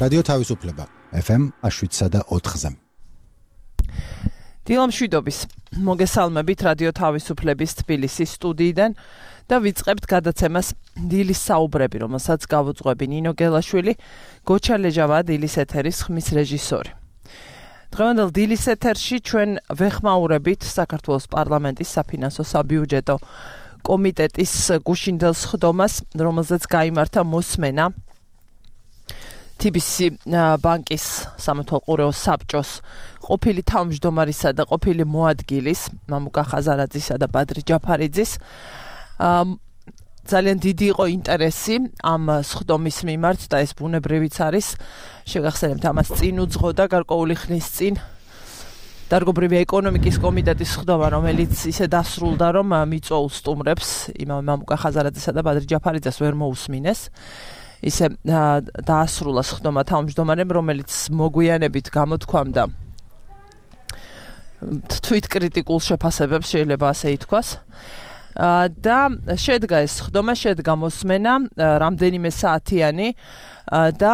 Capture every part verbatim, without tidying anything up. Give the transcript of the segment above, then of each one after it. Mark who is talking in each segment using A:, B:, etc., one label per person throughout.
A: რადიო თავისუფლება ეფ ემ შვიდსა და ოთხზე.
B: დილამშვიდობის მოგესალმებით რადიო თავისუფლების თბილისის სტუდიიდან და ვიწყებთ გადაცემას დილის საუბრები, რომელსაც გავუძღვები ნინო გელაშვილი, გოჩა ლეჟავა დილის ეთერის ხმის რეჟისორი. დღევანდელ დილის ეთერში ჩვენ ვეხმაურებით საქართველოს პარლამენტის საფინანსო საბიუჯეტო კომიტეტის გუშინდელ სხდომას, რომელზეც გაიმართა მოსმენა თი ბი სი ბანკის სამეთვალყურეო საბჭოს ყოფილი თავმჯდომარისა და ყოფილი მოადგილის მამუკა ხაზარაძისა და ბადრი ჯაფარიძის ძალიან დიდი იყო ინტერესი ამ სხდომის მიმართ და ეს ბუნებრივიც არის. შეგახსენებთ, ამას წინ უძღოდა გარკვეული ხნის წინ დარგობრივი ეკონომიკის კომიტეტის სხდომა, რომელიც ისე დასრულდა, რომ მიწვეულ სტუმრებს იმავე მამუკა ხაზარაძისა და ბადრი ჯაფარიძეს ვერ მოусმინეს. ისე დაასრულა სხდომა თავმჯდომარემ, რომელიც მოგვიანებით გამოთქვამდა თვით კრიტიკულ შეფასებებს, შეიძლება ასე ითქვას. და შედგა ეს სხდომა, შედგა მოსმენა რამდენიმე საათიანი და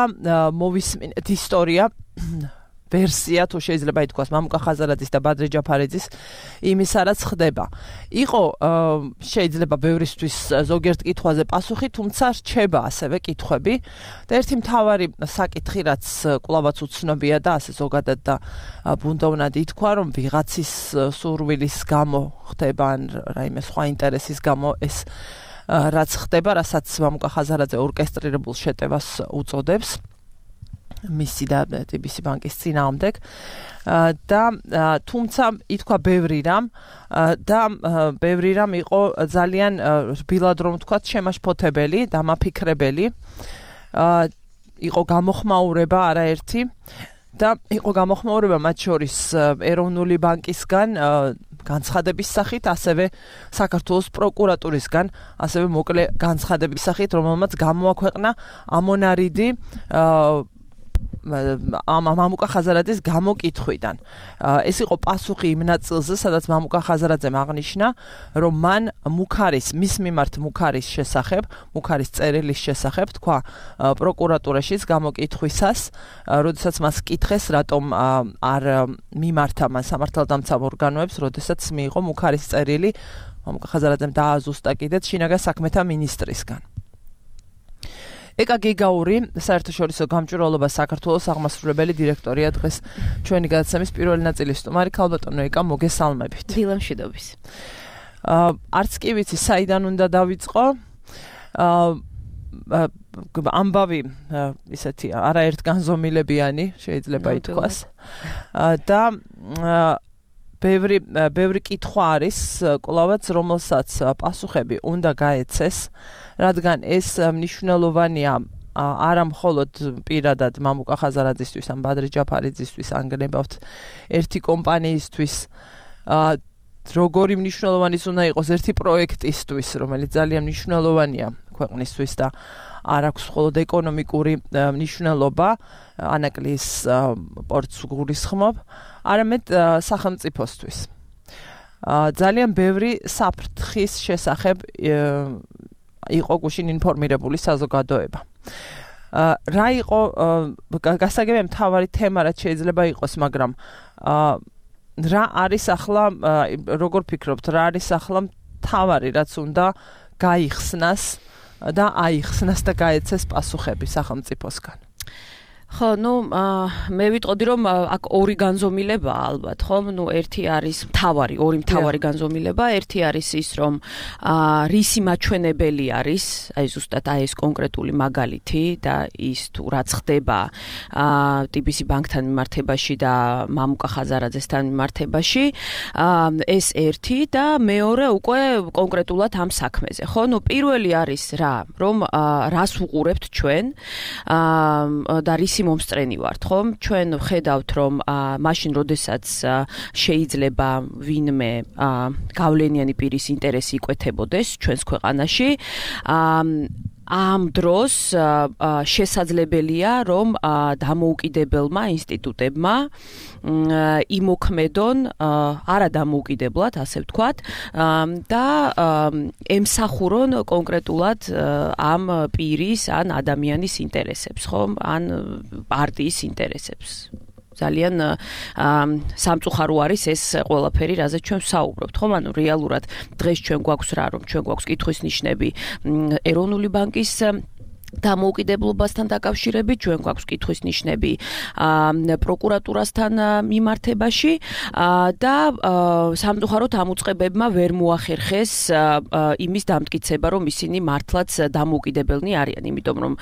B: მოვისმინეთ ისტორია, ვერსია, თუ შეიძლება ითქვას, მამუკა ხაზარაძის და ბადრი ჯაფარიძის იმისა, რაც ხდება. იყო შეიძლება ბევრისთვის ზოგიერთ კითხვაზე პასუხი, თუმცა რჩება ასევე კითხვები და ერთი მთავარი საკითხი, რაც კვლავაც უცნობია და ასე ზოგადად და ბუნდოვნად ითქვა, რომ ვიღაცის სურვილის გამო ხდება ან რაიმე სხვა ინტერესის გამო ეს რაც ხდება, რასაც მამუკა ხაზარაძე ორკესტრირებულ შეტევას უწოდებს მისი და თი ბი სი ბანკის წინააღმდეგ და თუმცა ითქვა ბევრი რამ და ბევრი რამ იყო ძალიან რბილად რომ ვთქვათ შემაშფოთებელი, დამაფიქრებელი, იყო გამოხმაურება არაერთი და იყო გამოხმაურება მათ შორის ეროვნული ბანკისგან განცხადების სახით, ასევე საქართველოს პროკურატურისგან, ასევე მოკლე განცხადების სახით, რომელმაც გამოაქვეყნა ამონარიდი მამუკა ხაზარაძის გამოკითხვიდან. ეს იყო პასუხი იმ ნაწილზე, სადაც მამუკა ხაზარაძემ აღნიშნა, რომ მან მუქარის, მის მიმართ მუქარის შესახებ, მუქარის წერილის შესახებ თქვა პროკურატურაშიც გამოკითხვისას, როდესაც მას კითხეს, რატომ არ მიმართა მან სამართალდამცავ ორგანოებს, როდესაც მიიღო მუქარის წერილი მამუკა ხაზარაძემ დააზუსტა კიდეც შინაგან საქმეთა მინისტრისგან. ეკა გიგაური, საერთაშორისო გამჭვირვალობა საქართველოს აღმასრულებელი დირექტორია, დღეს ჩვენი გადაცემის პირველი ნაწილის სტუმარი. ქალბატონო ეკა, მოგესალმებით.
C: დილამშვიდობის.
B: არც კი ვიცი, საიდან უნდა დავიწყო. ამბავი ისეთი არაერთ განზომილებიანი შეიძლება ითქვას. და ბევრი ბევრი კითხვა არის კვლავაც, რომელსაც პასუხები უნდა გაეცეს, რადგან ეს მნიშვნელოვანია არა მხოლოდ პირადად მამუკა ხაზარაძისთვის ან ბადრი ჯაფარიძისთვის, ან გნებავთ ერთი კომპანიისთვის, როგორი მნიშვნელოვანი უნდა იყოს ერთი პროექტისთვის, რომელიც ძალიან მნიშვნელოვანია ქვეყნისთვის და არ აქვს მხოლოდ ეკონომიკური მნიშვნელობა, ანაკლის პორტს გულისხმობ, არამედ სახელმწიფოსთვის. ძალიან ბევრი საფრთხის შესახებ იყო გუშინ ინფორმირებული საზოგადოება. რა იყო გასაგებია მთავარი თემა, რაც შეიძლება იყოს, მაგრამ რა არის ახლა, როგორ ფიქრობთ, რა არის ახლა მთავარი, რაც უნდა გაიხსნას და აიხსნას და გაეცეს პასუხები სახელმწიფოსგან?
C: ხო, ნუ მე ვიტყოდი, რომ აქ ორი განზომილება ალბათ, ხო? ნუ ერთი არის მთავარი, ორი მთავარი განზომილება, ერთი არის ის, რომ რისი მაჩვენებელი არის, აი ზუსტად აი ეს კონკრეტული მაგალითი და ის თუ რაც ხდება თი ბი სი ბანკთან მიმართებაში და მამუკა ხაზარაძესთან მიმართებაში, ეს ერთი და მეორე უკვე კონკრეტულად ამ საქმეზე, ხო? ნუ პირველი არის რა, რომ რას უყურებთ ჩვენ და რის მომსწრენი ვართ, ხო? ჩვენ ვხედავთ, რომ მაშინ, როდესაც შეიძლება ვინმე გავლენიანი პირის ინტერესი იკვეთებოდეს ჩვენს ქვეყანაში, ამ დროს შესაძლებელია რომ დამოუკიდებელმა ინსტიტუტებმა იმოქმედონ არა დამოუკიდებლად, ასე ვთქვათ, და ემსახურონ კონკრეტულად ამ პირის ან ადამიანის ინტერესებს, ხომ? ან პარტიის ინტერესებს. ძალიან სამწუხარო არის ეს ყველაფერი, რაზეც ჩვენ ვსაუბრობთ, ხომ? ანუ რეალურად დღეს ჩვენ გვაქვს რა, რომ ჩვენ გვაქვს კითხვის ნიშნები ეროვნული ბანკის დამოუკიდებლობასთან დაკავშირებით, ჩვენ გვაქვს კითხვის ნიშნები პროკურატურასთან მიმართებაში და სამწუხაროდ ამ უწყებებმა ვერ მოახერხეს იმის დამტკიცება, რომ ისინი მართლაც დამოუკიდებელნი არიან, იმიტომ რომ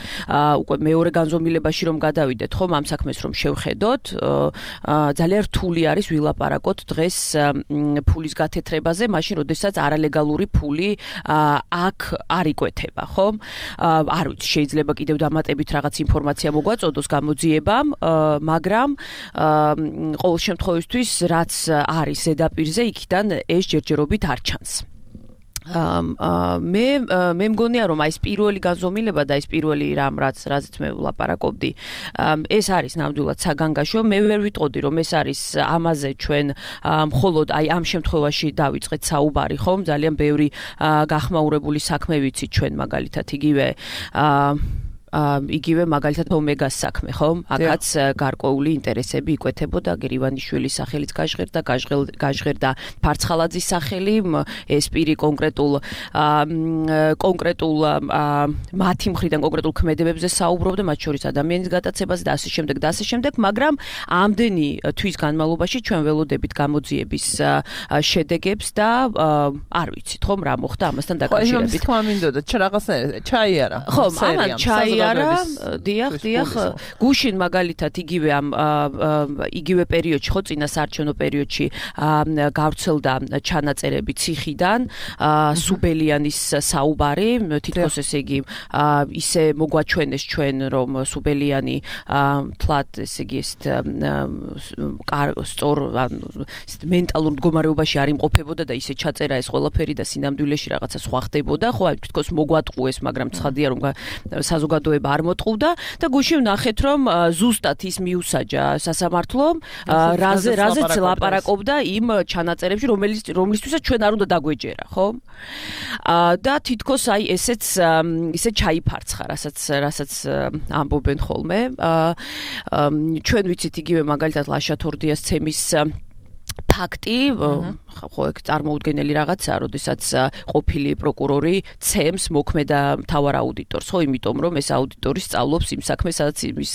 C: უკვე მეორე განზომილებაში რომ გადავიდეთ, ხომ, ამ საქმეს რომ შევხედოთ, ძალიან რთული არის ვილაპარაკოთ დღეს ფულის გათეთრებაზე, მაშინ როდესაც არალეგალური ფული აქ არ იკვეთება, ხომ? არ ვიცი, შეიძლება კიდევ დამატებით რაღაც ინფორმაცია მოგვაწოდოს გამოძიებამ, მაგრამ ყოველ შემთხვევისთვის რაც არის ზედაპირზე, იქიდან ეს ჯერჯერობით არ ჩანს. მე მე მგონია რომ აი ეს პირველი განზომილება და ეს პირველი რამ რაც რაზეც მე ვლაპარაკობდი, ეს არის ნამდვილად საგანგაშო. მე ვერ ვიტყოდი რომ ეს არის ამაზე ჩვენ მხოლოდ აი ამ შემთხვევაში დავიწყეთ საუბარი, ხომ? ძალიან ბევრი გახმაურებული საქმე ვიცით ჩვენ, მაგალითად იგივე იგივე მაგალითად ომეგას საქმე, ხომ? აქაც გარკვეული ინტერესები იკვეთებოდა, გერივანიშვილის სახელით გაჟღერდა, გაჟღერდა ფარცხალაძის სახელი, ეს პირი კონკრეტულ კონკრეტულ მათი მხრიდან კონკრეტულ ქმედებებზე საუბრობდა, მათ შორის ადამიანის გატაცებაზე და ასე შემდეგ და ასე შემდეგ, მაგრამ ამდენი თვის განმავლობაში ჩვენ ველოდებით გამოძიების შედეგებს და არ ვიცით, ხომ, რა მოხდა ამასთან დაკავშირებით.
B: ხო, ის მინდოდა, რაღაცნაირად ჩაიარა.
C: ხო, ამან ჩაიარა არა, დიახ, დიახ, გუშინ მაგალითად იგივე ამ იგივე პერიოდში, ხო, წინა საარჩევნო პერიოდში გავრცელდა ჩანაწერები ციხიდან, სუბელიანის საუბარი, თითქოს ესე იგი ისე მოგვაჩვენეს ჩვენ, რომ სუბელიანი თლად ესე იგი ეს სწორ მენტალურ მდგომარეობაში არ იმყოფებოდა და ისე ჩაწერა ეს ყველაფერი და სინამდვილეში რაღაცა სხვა ხდებოდა, ხო, აი თითქოს მოგვატყუეს, მაგრამ ცხადია რომ საზოგადოება არ მოტყუდა და გუშინ ვნახეთ რომ ზუსტად ის მიუსაჯა სასამართლომ, რაზეც ლაპარაკობდა იმ ჩანაწერებში, რომელიც რომლისთვისაც ჩვენ არ უნდა დაგვეჯერა, ხო? და თითქოს აი ესეც ისე ჩაიფარცხა, რასაც რასაც ამბობენ ხოლმე. ჩვენ ვიცით იგივე მაგალითად ლაშა-თორდიას ცემის ფაქტი, ხო, ეგ წარმოუდგენელი რაღაცაა, როდესაც ყოფილი პროკურორი ცემს მოქმედა მთავარ აუდიტორს, ხო, იმიტომ რომ ეს აუდიტორი სწავლობს იმ საქმეს, სადაც იმის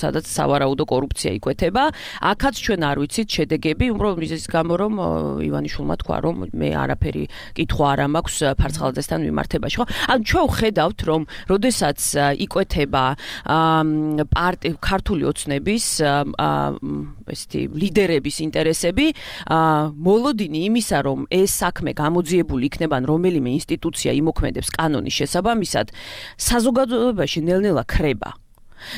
C: სადაც სავარაუდო კორუფცია იკვეთება. აქაც ჩვენ არ ვიცით შედეგები, უბრალოდ მიზეზის გამო, რომ ივანიშვილმა თქვა, რომ მე არაფერი კითხვა არ მაქვს ფარცხალაძესთან მიმართებაში, ხო? ანუ ჩვენ ვხედავთ, რომ როდესაც იკვეთება ქართული ოცნების ესეთი ლიდერების ინტერესები, მოლოდინი იმისა, რომ ეს საქმე გამოძიებული იქნება, რომელიმე ინსტიტუცია იმოქმედებს კანონის შესაბამისად, საზოგადოებაში ნელ-ნელა ქრება.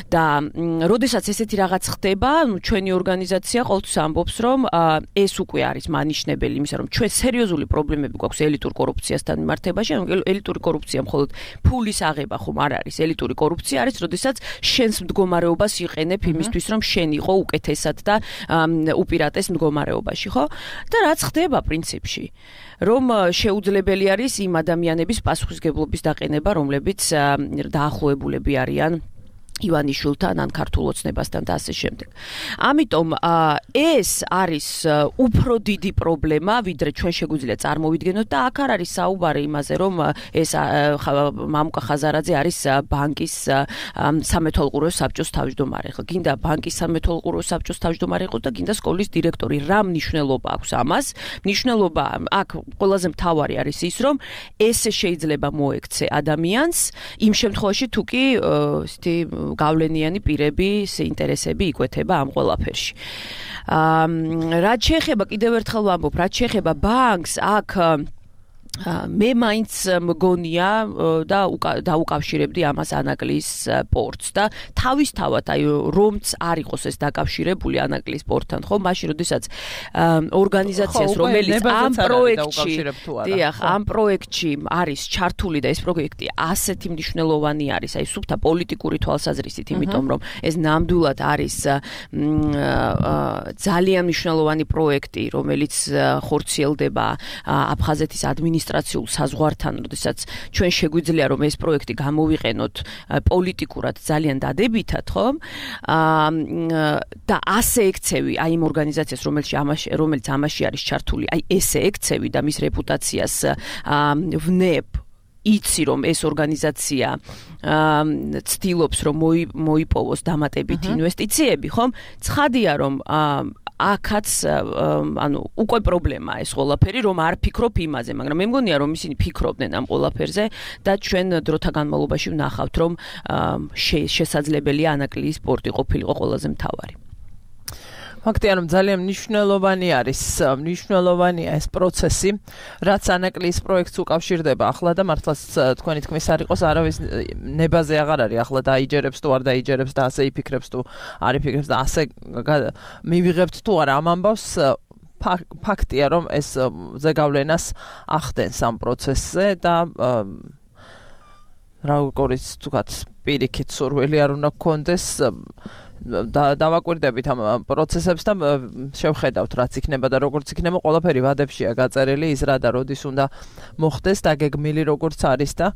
C: და როდესაც ესეთი რაღაც ხდება, ну ჩვენი ორგანიზაცია ყოველთვის ამბობს, რომ ეს უკვე არის მანიშნებელი იმისა, რომ ჩვენ სერიოზული პრობლემები გვაქვს ელიტურ კორუფციასთან მიმართებაში, ანუ ელიტური კორუფცია მხოლოდ ფულის აღება ხომ არ არის, ელიტური კორუფცია არის, როდესაც შენს მდგომარეობას იყენებ იმისთვის, რომ შენ იყო უკეთესად და უპირატეს მდგომარეობაში, ხო? და რაც ხდება პრინციპში, რომ შეუძლებელი არის იმ ადამიანების პასუხისგებლობის დაყენება, რომლებიც დაახლოებულები არიან ივანიშვილთან ან ქართულ ოცნებასთან და ასე შემდეგ. ამიტომ ეს არის უფრო დიდი პრობლემა, ვიდრე ჩვენ შეგვიძლია წარმოვიდგენოთ და აქ არ არის საუბარი იმაზე, რომ ეს მამუკა ხაზარაძე არის ბანკის სამეთვალყურეო საბჭოს თავმჯდომარე. ხო, გინდა ბანკის სამეთვალყურეო საბჭოს თავმჯდომარე იყოს და გინდა სკოლის დირექტორი. რა მნიშვნელობა აქვს ამას? მნიშვნელობა აქ ყველაზე მთავარი არის ის, რომ ეს შეიძლება მოექცე ადამიანს იმ შემთხვევაში თუ კი ესეთი გავლენიანი პირების ინტერესები იკვეთება ამ ყველაფერში. რაც შეეხება კიდევ ერთხელ ვამბობ, რაც შეეხება ბანკს, აქ მე მაინც მგონია და დაუკავშირებდი ამას ანაკლის პორტს და თავისთავად აი რომც არ იყოს ეს დაკავშირებული ანაკლის პორტთან ხო მაშინ როდესაც ორგანიზაციას რომელიც ამ პროექტში დიახ ამ პროექტში არის ჩართული და ეს პროექტი ასეთი მნიშვნელოვანი არის აი სუფთა პოლიტიკური თვალსაზრისით იმიტომ რომ ეს ნამდვილად არის ძალიან მნიშვნელოვანი პროექტი რომელიც ხორციელდება აფხაზეთის ადმინისტრაციულ საზღვართან, როდესაც ჩვენ შეგვიძლია რომ ეს პროექტი გამოვიყენოთ პოლიტიკურად ძალიან დადებითად, ხო? და ასე ექცევი აი იმ ორგანიზაციას, რომელიც ამაში რომელიც ამაში არის ჩართული, აი ესე ექცევი და მის რეპუტაციას ვნებ იცი რომ ეს ორგანიზაცია ცდილობს რომ მოიპოვოს დამატებითი ინვესტიციები, ხომ? ცხადია რომ აქაც ანუ უკვე პრობლემაა ეს ყველაფერი რომ არ ფიქრობ იმაზე, მაგრამ მე მგონია რომ ისინი ფიქრობდნენ ამ ყველაფერზე და ჩვენ დროთა განმავლობაში ვნახავთ რომ შესაძლებელია ანაკლის პორტი ყოფილიყო ყველაზე მთავარი.
B: ფაქტია რომ ძალიან მნიშვნელოვანი არის მნიშვნელოვანია ეს პროცესი, რაც ანაკლის პროექტს უკავშირდება ახლა და მართლაც თქვენი თქმის არ იყოს არავის ნებაზე აღარ არის ახლა დაიჯერებს თუ არ დაიჯერებს და ასე იფიქრებს თუ არ იფიქრებს და ასე მივიღებთ თუ არა ამ ამბავს ფაქტია რომ ეს ზეგავლენას ახდენს ამ პროცესზე და როგორიც თქვათ პირიქით სურვილი არ უნდა გქონდეს და დავაკვირდებით ამ პროცესებს და შევხედავთ რაც იქნება და როგორც იქნება ყველაფერი ვადებშია გაწერილი ის რა და როდის უნდა მოხდეს და გეგმილი როგორც არის და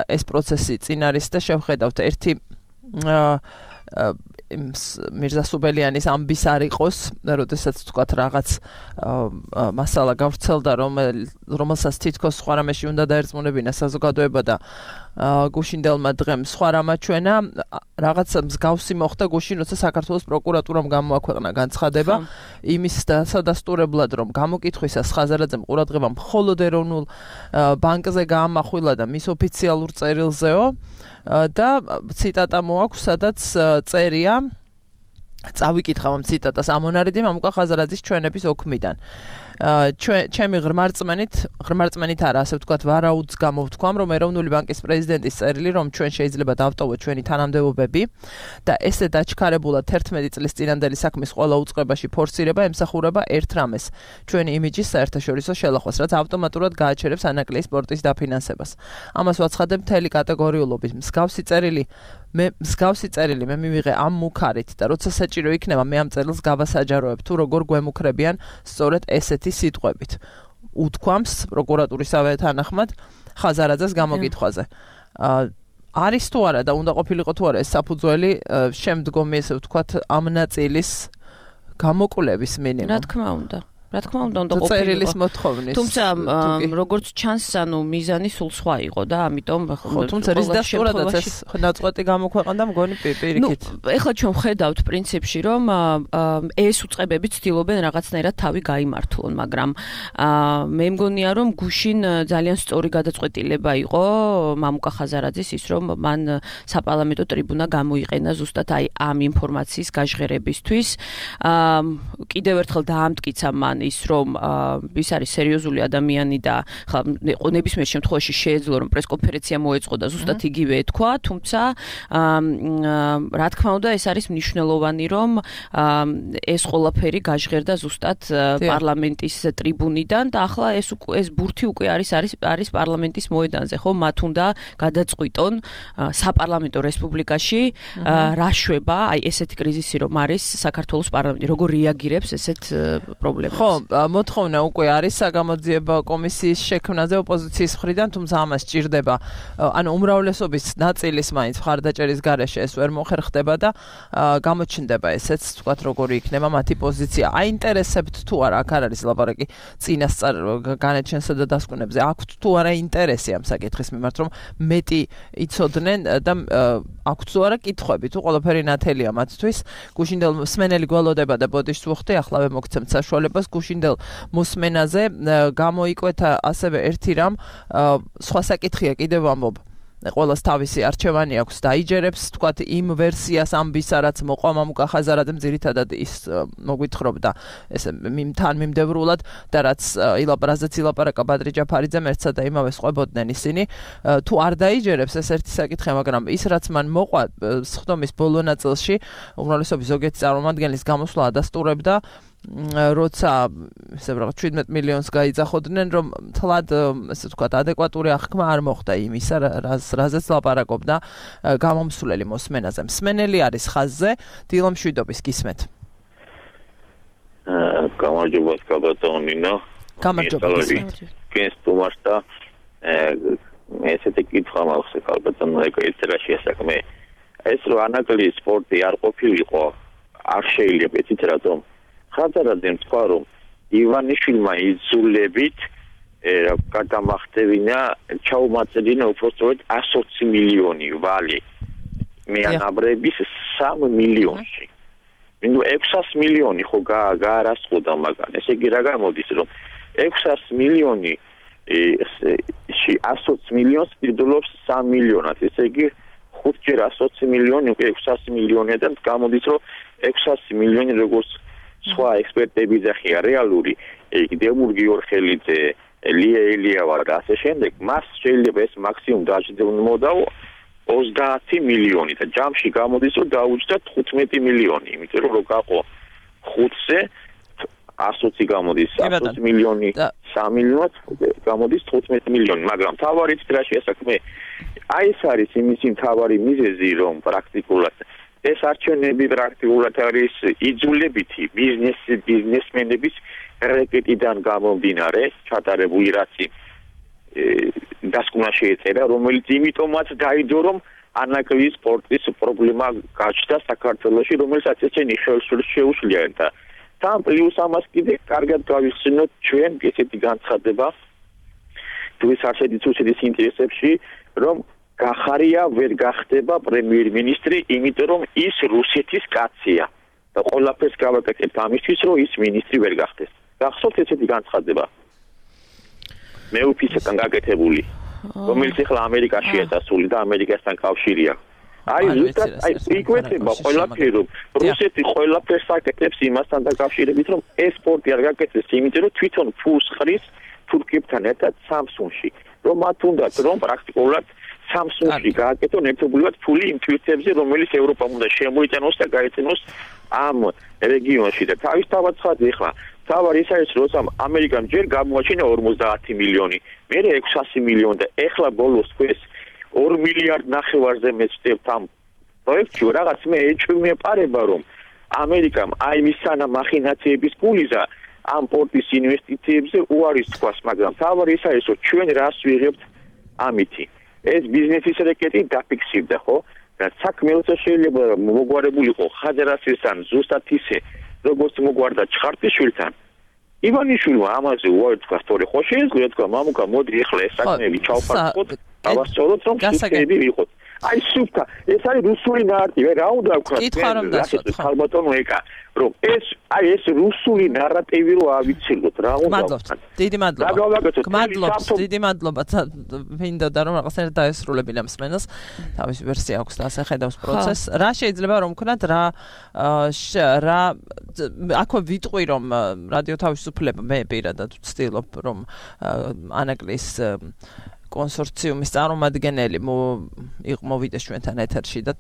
B: ეს პროცესი წინ არის და შევხედავთ ერთი მირზა სუბელიანის ამბის არ იყოს, როდესაც თქვათ რაღაც მასალა გავრცელდა რომელსაც თითქოს სხვა რამეში უნდა დაერწმუნებინა საზოგადოება და გუშინდელმა დღემ სხვა რამა ჩვენა რაღაც მსგავსი მოხდა გუშინ როცა საქართველოს პროკურატურამ გამოაქვეყნა განცხადება იმის დასადასტურებლად რომ გამოკითხვისას ხაზარაძემ ყურადღება მხოლოდ ეროვნულ ბანკზე გაამახვილა და მის ოფიციალურ წერილზეო და ციტატა მოაქვს სადაც წერია წავიკითხავ ამ ციტატას ამონარიდი მამუკა ხაზარაძის ჩვენების ოქმიდან ჩემი ღრმარწმენით ღრმარწმენით არა ასე ვთქვათ ვარაუდს გამოვთქვამ რომ ეროვნული ბანკის პრეზიდენტის წერილი რომ ჩვენ შეიძლება დავტოვოთ ჩვენი თანამდებობები და ესე დაჩქარებულად თერთმეტი წლის წინანდელი საქმის ყველა უწყებაში ფორსირება ემსახურება ერთ რამეს ჩვენი იმიჯის საერთაშორისო შელახვას რაც ავტომატურად გააჩერებს ანაკლის სპორტის დაფინანსებას ამას ვაცხადებ მთელი კატეგორიულობით მსგავსი წერილი მე მსგავსი წერილი მე მივიღე ამ მუქარით და როცა საჭირო იქნება მე ამ წერილს გავასაჯაროებ თუ როგორ გვემუქრებიან სწორედ ესეთი სიტყვებით უთქვამს პროკურატურისავე თანახმად ხაზარაძეს გამოკითხვაზე არის თუ არა და უნდა ყოფილიყო თუ არა ეს საფუძველი შემდგომი ესე ვთქვათ ამ ნაწილის გამოკვლევის მინიმუმ
C: რა თქმა უნდა რა თქმა უნდა უნდა
B: ყოფილიყო მოთხოვნის
C: თუმცა როგორც ჩანს ანუ მიზანი სულ სხვა იყო და ამიტომ
B: ხო თუმცა რის დასტურადაც ეს ნაწყვეტი გამოქვეყნდა მგონი პირიქით
C: ნუ ეხლა ჩვენ ვხედავთ პრინციპში რომ ეს უწყებები ცდილობენ რაღაცნაირად თავი გაიმართლონ მაგრამ მე მგონია რომ გუშინ ძალიან სწორი გადაწყვეტილება იყო მამუკა ხაზარაძის ის რომ მან საპარლამენტო ტრიბუნა გამოიყენა ზუსტად აი ამ ინფორმაციის გაჟღერებისთვის კიდევ ერთხელ დაამტკიცა მან ის რომ ის არის სერიოზული ადამიანი და ნებისმიერ შემთხვევაში შეეძლო რომ პრესკონფერენცია მოეწყო და ზუსტად იგივე ეთქვა, თუმცა რა თქმა უნდა ეს არის მნიშვნელოვანი რომ ეს ყველაფერი გაჟღერდა ზუსტად პარლამენტის ტრიბუნიდან და ახლა ეს ეს ბურთი უკვე არის არის არის პარლამენტის მოედანზე, ხო? მათ უნდა გადაწყვიტონ საპარლამენტო რესპუბლიკაში რა შვება, აი ესეთი კრიზისი რომ არის საქართველოს პარლამენტი, როგორ რეაგირებს ესეთ პრობლემებს.
B: ხო, მოთხოვნა უკვე არის საგამოძიებო კომისიის შექმნაზე ოპოზიციის მხრიდან, თუმცა ამას სჭირდება, ანუ უმრავლესობის ნაწილის მაინც მხარდაჭერის გარეშე ეს ვერ მოხერხდება და გამოჩნდება ესეც, თქვათ, როგორი იქნება მათი პოზიცია. აინტერესებთ თუ არა, აქ არ არის ლაპარაკი წინასწარ განაჩენსა და დასკვნებზე. აქვთ თუ არა ინტერესი ამ საკითხის მიმართ, რომ მეტი იცოდნენ და აქვთ თუ არა კითხვები, თუ ყველაფერი ნათელია მათთვის. გუშინდელ მსმენელი გველოდება და ბოდიშს ვუხდი, ახლავე მოგცემთ საშუალებას გუშინდელ მოსმენაზე გამოიკვეთა ასევე ერთი რამ სხვა საკითხია კიდევ ამბობ. ყველას თავისი არჩევანი აქვს დაიჯერებს თქვათ იმ ვერსიას ამბისა რაც მოყვა მამუკა ხაზარაძემ ძირითადად ის მოგვითხრობდა ესე თან მიმდევრულად და რაც ილაპარაზეც ილაპარაკა ბადრი ჯაფარიძემ ერთსა და იმავე ყვებოდნენ ისინი თუ არ დაიჯერებს ეს ერთი საკითხი მაგრამ ის რაც მან მოყვა სხდომის ბოლო ნაწილში უმრავლესობის ზოგიერთი წარმომადგენლის გამოსვლა ადასტურებდა როცა ესე ვთქვათ შვიდმეტ მილიონს გაიძახოდნენ რომ თლად ესე ვთქვათ ადეკვატური აღქმა არ მოხდა იმისა რაზეც ლაპარაკობდა გამომსვლელი მოსმენაზე. მსმენელი არის ხაზზე დილო მშვიდობის გისმენთ.
D: გამარჯობა კაბატონინო.
B: გამარჯობა.
D: კენს თუმარსა ესეთი კითხვა მაქვს კაბატონო ეკეცრა შესაქმე. ეს რო ანაკლი სპორტი არ ყოფილიყო არ შეიძლება იცით რატომ? ხაზარაძემ თქვა რომ ივანიშვილმა იძულებით გადამახტევინა ჩაუმაწედინა უпростоრად εκατი მილიონი ვალი მეანაბრების სამი მილიონში. ნუ ექვსას მილიონი ხო გაარასყოდა მაგან. ესე იგი რა გამოდის რომ ექვსას მილიონი ში εκατი მილიონს პირდულობს სამი მილიონად. ესე იგი ხუთჯერ εκατი მილიონი უკვე ექვსასი მილიონია და გამოდის რომ ექვსასი მილიონი როგორც სხვა ექსპერტები ძახია რეალური დემურ გიორხელიძე ლია ელიავა და ასე შემდეგ მას შეიძლება ეს მაქსიმუმ დაჯდომოდაო ოცდაათი მილიონი და ჯამში გამოდის რომ დაუჯდა თხუთმეტი მილიონი იმიტომ რომ რო გაყო ხუთზე ასოცი გამოდის ათი მილიონი სამი მილიონად გამოდის თხუთმეტი მილიონი მაგრამ თავარით რა შესაქმე აი ეს არის იმისი თავარი მიზეზი რომ პრაქტიკულად ეს არჩევნები პრაქტიკულად არის იძულებითი ბიზნეს ბიზნესმენების რეკეტიდან გამომდინარე ჩატარებული რაცი დასკვნა შეეწერა რომელიც იმიტომაც დაიდო რომ ანაკლის სპორტის პრობლემა გაჩნდა საქართველოში რომელსაც ეცენი შეუძლია და თან პლუს ამას კიდე კარგად გავიხსენოთ ჩვენ ესეთი განცხადება თუ ის არსებითი თუსეთის ინტერესებში რომ გახარია ვერ გახდება პრემიერ-მინისტრი, იმიტომ რომ ის რუსეთის კაცია და ყველაფერს გავაკეთებთ ამისთვის, რომ ის მინისტრი ვერ გახდეს. გახსოვთ ესეთი განცხადება? მეუფისგან გაკეთებული, რომელიც ახლა ამერიკაშია დასული და ამერიკასთან კავშირია. აი ზუსტად აი იკვეთება ყველაფერი, რომ რუსეთი ყველაფერს აკეთებს იმასთან დაკავშირებით, რომ ეს სპორტი არ გაკეთდეს, იმიტომ რომ თვითონ ფულს ხრის თურქებთან ერთად სამსუნში. რომ მათ უნდათ რომ პრაქტიკულად Samsung-ში გააკეთონ ერთობლივად ფული იმ თვისებზე, რომელიც ევროპამ უნდა შემოიტანოს და გაეწინოს ამ რეგიონში და თავისთავად ცხადია ახლა თავარი ის არის რომ ამერიკამ ჯერ გამოაჩინა ორმოცდაათი მილიონი, მერე ექვსასი მილიონი და ახლა ბოლოს ეს ორი მილიარდ ნახევარზე მეცდებთ ამ პროექტში რაღაც მე ეჩვეუპარება რომ ამერიკამ აი მისანა მახინაციების ფულიზა ამ პორტის ინვესტიციებზე უარის თქواس, მაგრამ თავარი ის არის რომ ჩვენ რას ვიღებთ ამითი ეს ბიზნესის რეკეტი დაფიქსირდა ხო და საქმე როცა შეიძლება მოგვარებულიყო ხაზარაძესთან ზუსტად ისე როგორც მოგვარდა ჩხარტიშვილთან ივანიშვილმა ამაზე უარი თქვა სწორი ხო შეეძლო თქვა მამუკა მოდი ეხლა ეს საქმეები ჩავფარხოთ დავასწოროთ რომ სუსტები ვიყოთ აი სუფთა ეს არის რუსული ნარატივი რა უნდა ვქნა ეს ხალბატონო ეკა რომ ეს აი ეს რუსული ნარატივი რო ავიცილოთ რა უნდა ვქნა
B: დიდი მადლობა მადლობს დიდი მადლობა მინდოდა რომ რაღაცნაირად დაესრულებინა მსმენელს თავისი ვერსია აქვს და ასე ხედავს პროცესს რა შეიძლება რომ ვქნათ რა რა აქვე ვიტყვი რომ რადიო თავისუფლება მე პირადად ვცდილობ რომ ანაკლის კონსორციუმის წარმომადგენელი მოვიდეს ჩვენთან ეთერში და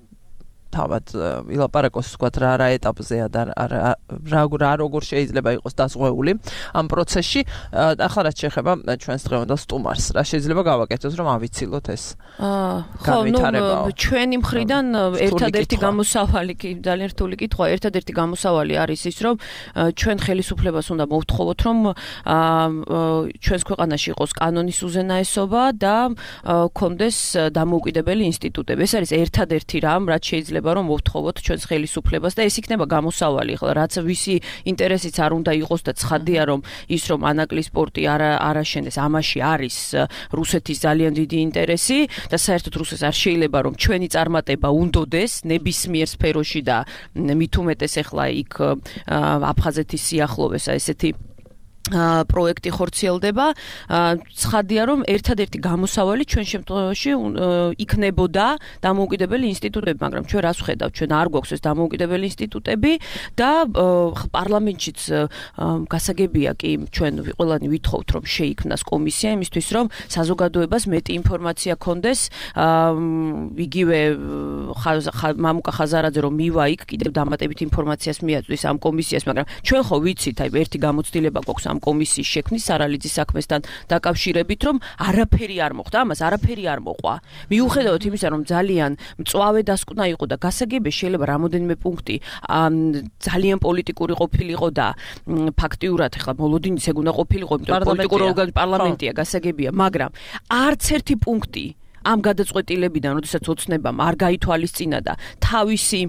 B: თავად ვილაპარაკოს ვთქვათ რა რა ეტაპზეა და რა რა როგორ შეიძლება იყოს დასღვეული ამ პროცესში ახლა რაც შეეხება ჩვენს დღევანდელ სტუმარს რა შეიძლება გავაკეთოთ რომ ავიცილოთ ეს
C: ხო ნუ ჩვენი მხრიდან ერთადერთი გამოსავალი კი ძალიან რთული კითხვა ერთადერთი გამოსავალი არის ის რომ ჩვენ ხელისუფლებას უნდა მოვთხოვოთ რომ ჩვენს ქვეყანაში იყოს კანონის უზენაესობა და კონდეს დამოუკიდებელი ინსტიტუტები ეს არის ერთადერთი რამ რაც შეიძლება რომ მოვთხოვოთ ჩვენს ხელისუფლებას და ეს იქნება გამოსავალი ახლა რაც ვისი ინტერესიც არ უნდა იყოს და ცხადია რომ ის რომ ანაკლის სპორტი არ არაშენდეს ამაში არის რუსეთის ძალიან დიდი ინტერესი და საერთოდ რუსეთს არ შეიძლება რომ ჩვენი წარმატება უნდოდეს ნებისმიერ სფეროში და მით უმეტეს ახლა იქ აფხაზეთის სიახლოვესა ესეთი პროექტი ხორციელდება. ცხადია, რომ ერთადერთი გამოსავალი ჩვენ შემთხვევაში იქნებოდა დამოუკიდებელი ინსტიტუტები, მაგრამ ჩვენ რას ვხედავთ? ჩვენ არ გვაქვს ეს დამოუკიდებელი ინსტიტუტები და პარლამენტშიც გასაგებია კი ჩვენ ყველანი ვითხოვთ, რომ შეიქმნას კომისია იმისთვის, რომ საზოგადოებას მეტი ინფორმაცია ქონდეს. იგივე მამუკა ხაზარაძე რომ მივა იქ კიდევ დამატებით ინფორმაციას მიაწვდის ამ კომისიას, მაგრამ ჩვენ ხო ვიცით, აი ერთი გამოცდილება გვაქვს ამ კომისიის შექმნის სარალიძის საქმესთან დაკავშირებით, რომ არაფერი არ მოხდა, ამას არაფერი არ მოყვა. მიუხედავად იმისა, რომ ძალიან მწვავე დასკვნა იყო და გასაგებია შეიძლება რამოდენიმე პუნქტი ძალიან პოლიტიკური ყოფილიყო და ფაქტიურად ახლა მოლოდინიც ეგ უნდა ყოფილიყო, იმიტომ რომ პოლიტიკური ორგანო პარლამენტია, გასაგებია, მაგრამ არც ერთი პუნქტი ამ გადაწყვეტილებიდან, როდესაც ოცნებამ არ გაითვალისწინა და თავისი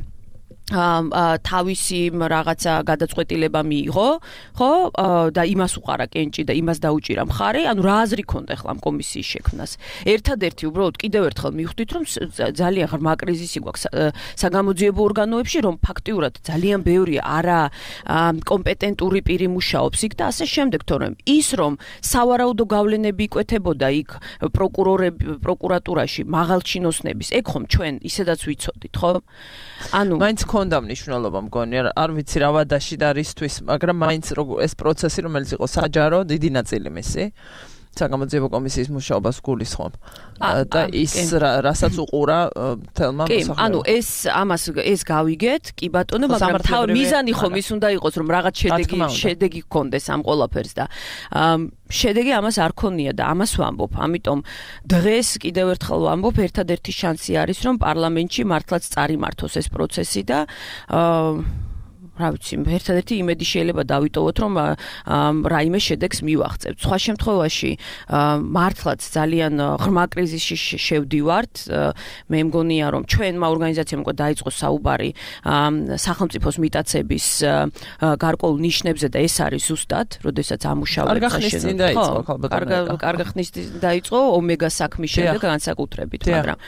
C: თავისი რაღაცა გადაწყვეტილება მიიღო, ხო? და იმას უყარა კენჭი და იმას დაუჭირა მხარი, ანუ რა აზრი ქონდა ახლა ამ კომისიის შექმნას. ერთადერთი უბრალოდ კიდევ ერთხელ მივხვდით, რომ ძალიან ღრმა კრიზისი გვაქვს საგამოძიებო ორგანოებში, რომ ფაქტიურად ძალიან ბევრი არა კომპეტენტური პირი მუშაობს იქ და ასე შემდეგ, თორემ ის რომ სავარაუდო გავლენები იკვეთებოდა იქ პროკურორები პროკურატურაში მაღალჩინოსნების, ეგ ხომ ჩვენ ისედაც ვიცოდით, ხო? ანუ
B: მაინც ქონდა მნიშვნელობა მგონი, არ ვიცი რა ვადაში და რისთვის, მაგრამ მაინც ეს პროცესი, რომელიც იყო საჯარო, დიდი ნაწილი მისი საგამოძიებო კომისიის მუშაობას გულისხმობ. და ის რასაც უყურა თელმა მოსახლეობამ.
C: ანუ ეს ამას ეს გავიგეთ, კი ბატონო, მაგრამ თავი მიზანი ხომ ის უნდა იყოს, რომ რაღაც შედეგი შედეგი გქონდეს ამ ყველაფერს და შედეგი ამას არ ქონია და ამას ვამბობ. ამიტომ დღეს კიდევ ერთხელ ვამბობ, ერთადერთი შანსი არის, რომ პარლამენტში მართლაც წარიმართოს ეს პროცესი და რა ვიცი, ერთადერთი იმედი შეიძლება დავიტოვოთ, რომ რაიმე შედეგს მივაღწევთ. სხვა შემთხვევაში მართლაც ძალიან ღრმა კრიზისში შევდივართ. მე მგონია, რომ ჩვენმა ორგანიზაციამ უკვე დაიწყო საუბარი სახელმწიფოს მიტაცების გარკვეულ ნიშნებზე და ეს არის ზუსტად, როდესაც ამუშავებთ
B: ხაშენად.
C: კარგა ხნის დაიწყო ომეგა საქმის შემდეგ განსაკუთრებით, მაგრამ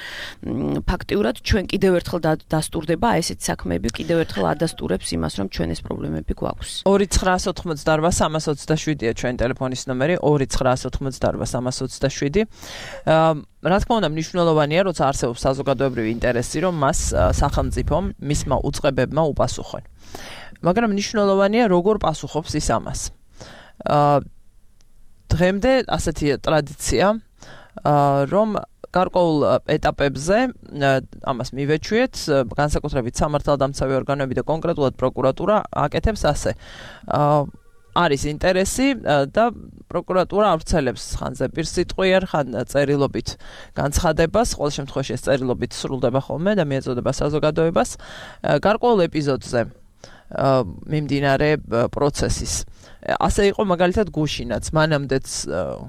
C: ფაქტიურად ჩვენ კიდევ ერთხელ დასტურდება ესეთ საქმეები, კიდევ ერთხელ ადასტურებს იმას, რომ ჩვენ ეს პრობლემები გვაქვს.
B: ორი ცხრაას ოთხმოცდაარბა სამას ოცდაშვიდია ჩვენ ტელეფონის ნომერი ორი ცხრაას ოთხმოცდაარბა სამას ოცდაშვიდი. რა თქმა უნდა, მნიშვნელოვანია, როცა არსებობს საზოგადოებრივი ინტერესი, რომ მას სახელმწიფომ მისმა უწყებებმა უპასუხონ. მაგრამ მნიშვნელოვანია, როგორ პასუხობს ის ამას. დღემდე ასეთი ტრადიცია, რომ გარკვეულ ეტაპებზე ამას მივეჩვიეთ, განსაკუთრებით სამართალდამცავი ორგანოები და კონკრეტულად პროკურატურა აკეთებს ასე. არის ინტერესი და პროკურატურა ავრცელებს ხან ზეპირსიტყვიერ, ხან წერილობით განცხადებას, ყოველ შემთხვევაში ეს წერილობით სრულდება ხოლმე და მიეწოდება საზოგადოებას გარკვეულ ეპიზოდზე მიმდინარე პროცესის. ასე იყო მაგალითად გუშინაც, მანამდეც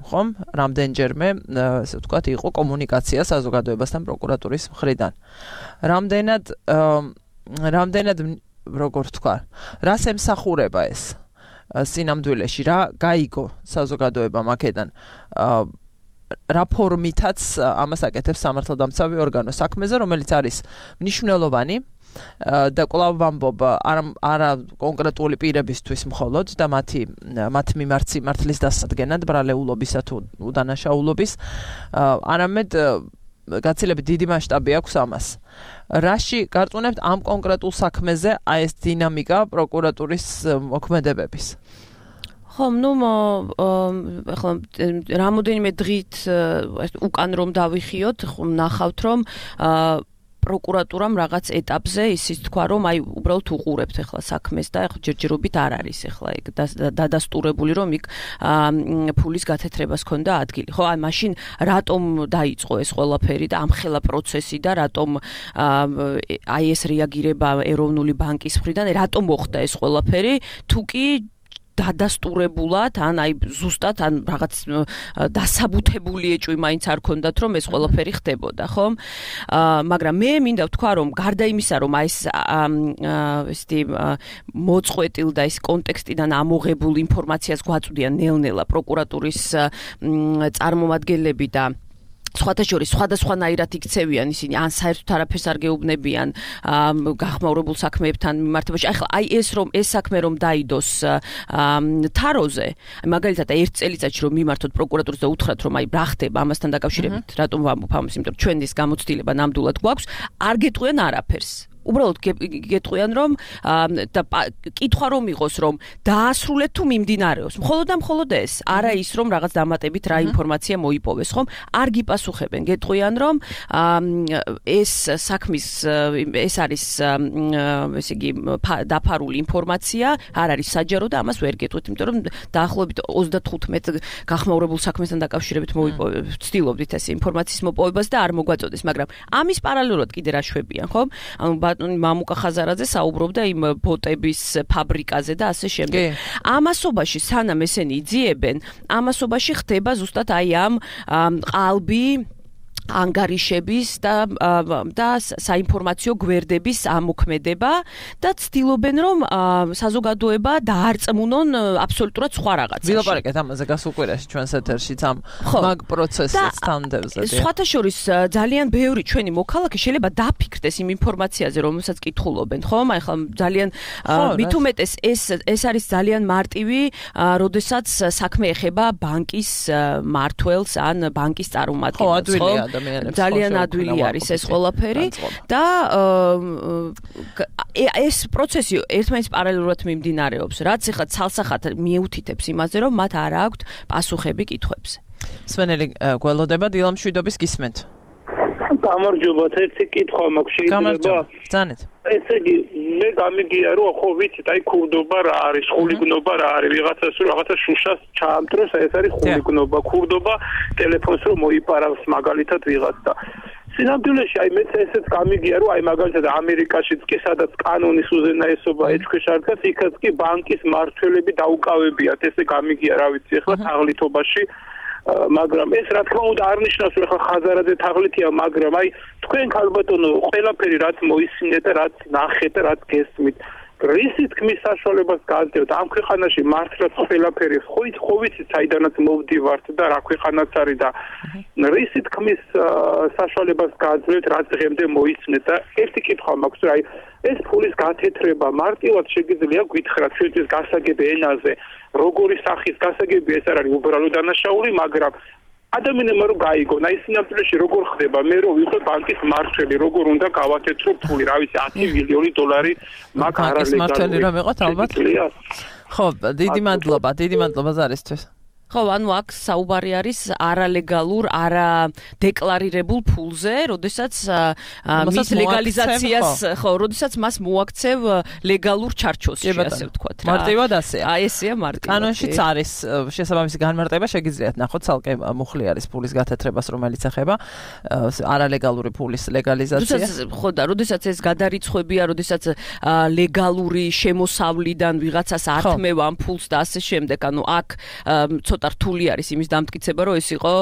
B: ხომ, რამდენჯერმე, ესე ვთქვათ, იყო კომუნიკაცია საზოგადოებასთან პროკურატურის მხრიდან. რამდენად რამდენად როგორ ვთქვა, რას ემსახურება ეს სინამდვილეში, რა გაიგო საზოგადოებამ აქედან. რა ფორმითაც ამას აკეთებს სამართალდამცავი ორგანო საქმეზე, რომელიც არის მნიშვნელოვანი და კვლავ ვამბობ არა კონკრეტული პირებისთვის მხოლოდ და მათი მათ მიმართ სიმართლის დასადგენად ბრალეულობისა თუ უდანაშაულობის, არამედ გაცილებით დიდი მასშტაბი აქვს ამას. რაში გარწმუნებთ ამ კონკრეტულ საქმეზე აი ეს დინამიკა პროკურატურის მოქმედებების?
C: ხომ, ნუ ახლა რამოდენიმე დღით უკან რომ დავიხიოთ, ნახავთ რომ პროკურატურამ რაღაც ეტაპზე ისიც თქვა, რომ აი უბრალოდ უყურებთ ახლა საქმეს და ახლა ჯერჯერობით არ არის ახლა ეგ დადასტურებული, რომ იქ ფულის გათეთრებას ქონდა ადგილი. ხო, აი მაშინ რატომ დაიწყო ეს ყველაფერი და ამხელა პროცესი და რატომ აი ეს რეაგირება ეროვნული ბანკის მხრიდან, რატომ მოხდა ეს ყველაფერი, თუ კი დადასტურებულად, ან აი ზუსტად ან რაღაც დასაბუთებული ეჭვი მაინც არ ქონდათ, რომ ეს ყველაფერი ხდებოდა, ხო? მაგრამ მე მინდა ვთქვა, რომ გარდა იმისა, რომ აი ეს ესეთი მოწყვეტილ და ის კონტექსტიდან ამოღებულ ინფორმაციას გვაწვდიან ნელ-ნელა პროკურატურის წარმომადგენლები და სხვათა შორის სხვადასხვანაირად იქცევიან ისინი ან საერთოდ არაფერს არ გეუბნებიან გახმაურებულ საქმეებთან მიმართებაში. ახლა აი ეს რომ ეს საქმე რომ დაიდოს თაროზე, მაგალითად ერთ წელიწადში რომ მიმართოთ პროკურატურას და უთხრათ რომ აი რა ხდება ამასთან დაკავშირებით, რატომ ვამბობ ამას, იმიტომ რომ ჩვენ ის გამოცდილება ნამდვილად გვაქვს, არ გეტყვიან არაფერს. უბრალოდ გეტყვიან რომ და კითხვა რომ იყოს რომ დაასრულეთ თუ მიმდინარეობს. მხოლოდ და მხოლოდ ეს, არა ის რომ რაღაც დამატებით რა ინფორმაცია მოიპოვეს, ხომ? არ გიპასუხებენ. გეტყვიან რომ ეს საქმის ეს არის ესე იგი დაფარული ინფორმაცია, არ არის საჯარო და ამას ვერ გეტყვით, იმიტომ რომ დაახლოებით ოცდათხუთმეტ გახმაურებულ საქმესთან დაკავშირებით ვცდილობდით ეს ინფორმაციის მოპოვებას და არ მოგვაწოდეს, მაგრამ ამის პარალელურად კიდე რა შვებიან, ხომ? ანუ მამუკა ხაზარაძე საუბრობდა იმ ბოტების ფაბრიკაზე და ასე შემდეგ. ამასობაში სანამ ესენი იძიებენ, ამასობაში ხდება ზუსტად აი ამ ყალბი ანგარიშების და და საინფორმაციო გვერდების ამოქმედება და ცდილობენ რომ საზოგადოება დაარწმუნონ აბსოლუტურად სხვა რაღაცაში.
B: ვილაპარაკეთ ამაზე გასულ კვირაში ჩვენს ეთერშიც ამ მაგ პროცესს თანდევზე.
C: სხვათა შორის ძალიან ბევრი ჩვენი მოქალაქე შეიძლება დაფიქრდეს იმ ინფორმაციაზე, რომელსაც კითხულობენ, ხომ? აი ხა ძალიან მით უმეტეს ეს ეს არის ძალიან მარტივი, როდესაც საქმე ეხება ბანკის მმართველს ან ბანკის წარმომადგენელს, ხო? ძალიან ადვილი არის ეს ყველაფერი და ეს პროცესი ერთმანეთს პარალელურად მიმდინარეობს, რაც ახლა ცალსახად მიუთითებს იმაზე, რომ მათ არ აქვთ პასუხები კითხვებზე.
B: სვენელი გველოდება დილამშვიდობის გისმენთ.
E: გამარჯობათ, ერთი კითხვა მაქვს შეიძლება?
B: ძანეთ.
E: ესე იგი, მე გამიგია რომ ხო ვიცით, აი ქურდობა რა არის, ხულიგნობა რა არის, ვიღაცას რომ რაღაცა შუშას ჩაამტროს, ეს არის ხულიგნობა, ქურდობა ტელეფონს რომ მოიპარავს მაგალითად ვიღაც და სინამდვილეში აი მეც ესეც გამიგია რომ აი მაგალითად ამერიკაშიც კი სადაც კანონის უზენაესობა ეჭქვეშ არ დგას, იქაც კი ბანკის მმართველები დაუკავებიათ, ესე გამიგია რა ვიცი ახლა თაღლითობაში მაგრამ ეს რა თქმა უნდა არ ნიშნავს რომ ახლა ხაზარაძე თაღლითია, მაგრამ აი თქვენ ქალბატონო ყველაფერი რაც მოისმინეთ და რაც ნახეთ და რაც გესმით რისი თქმის საშუალებას გააძლევთ ამ ქვეყანაში მართლაც ყველაფერი ხო ხო ვიცით საიდანაც მოვდივართ და რა ქვეყანაც არის და რისი თქმის საშუალებას გააძლევთ რაც დღემდე მოისმინეთ და ერთი კითხვა მაქვს რომ აი ეს ფულის გათეთრება მარტივად შეგიძლია გითხრათ ჩვენთვის გასაგები ენაზე როგორი სახის გასაგები ეს არ არის უბრალო დანაშაული, მაგრამ ადამიანებმა რომ გაიგონ, აი სინამდვილეში როგორ ხდება, მე რომ ვიყო ბანკის მმართველი, როგორ უნდა გავათეთრო ფული, რა ვიცი, ათი მილიონი დოლარი მაგ არალეგალური.
B: ბანკის მმართველი რომ იყოთ ალბათ. ხო, დიდი მადლობა, დიდი მადლობა ზარისთვის.
C: ხო, ანუ აქ საუბარი არის არალეგალურ, არადეკლარირებულ ფულზე, როდესაც მის ლეგალიზაციას, ხო, როდესაც მას მოაქცევ ლეგალურ ჩარჩოსში, ასე ვთქვათ რა.
B: მარტივად ასეა.
C: აი ესეა მარტივად.
B: კანონშიც არის შესაბამისი განმარტება, შეგიძლიათ ნახოთ, ცალკე მუხლი არის ფულის გათეთრებას, რომელიც ეხება არალეგალური ფულის ლეგალიზაციას.
C: ხო და როდესაც ეს გადარიცხვებია, როდესაც ლეგალური შემოსავლიდან ვიღაცას ართმევ ამ ფულს და ასე შემდეგ, ანუ აქ რთული არის იმის დამტკიცება, რომ ეს იყო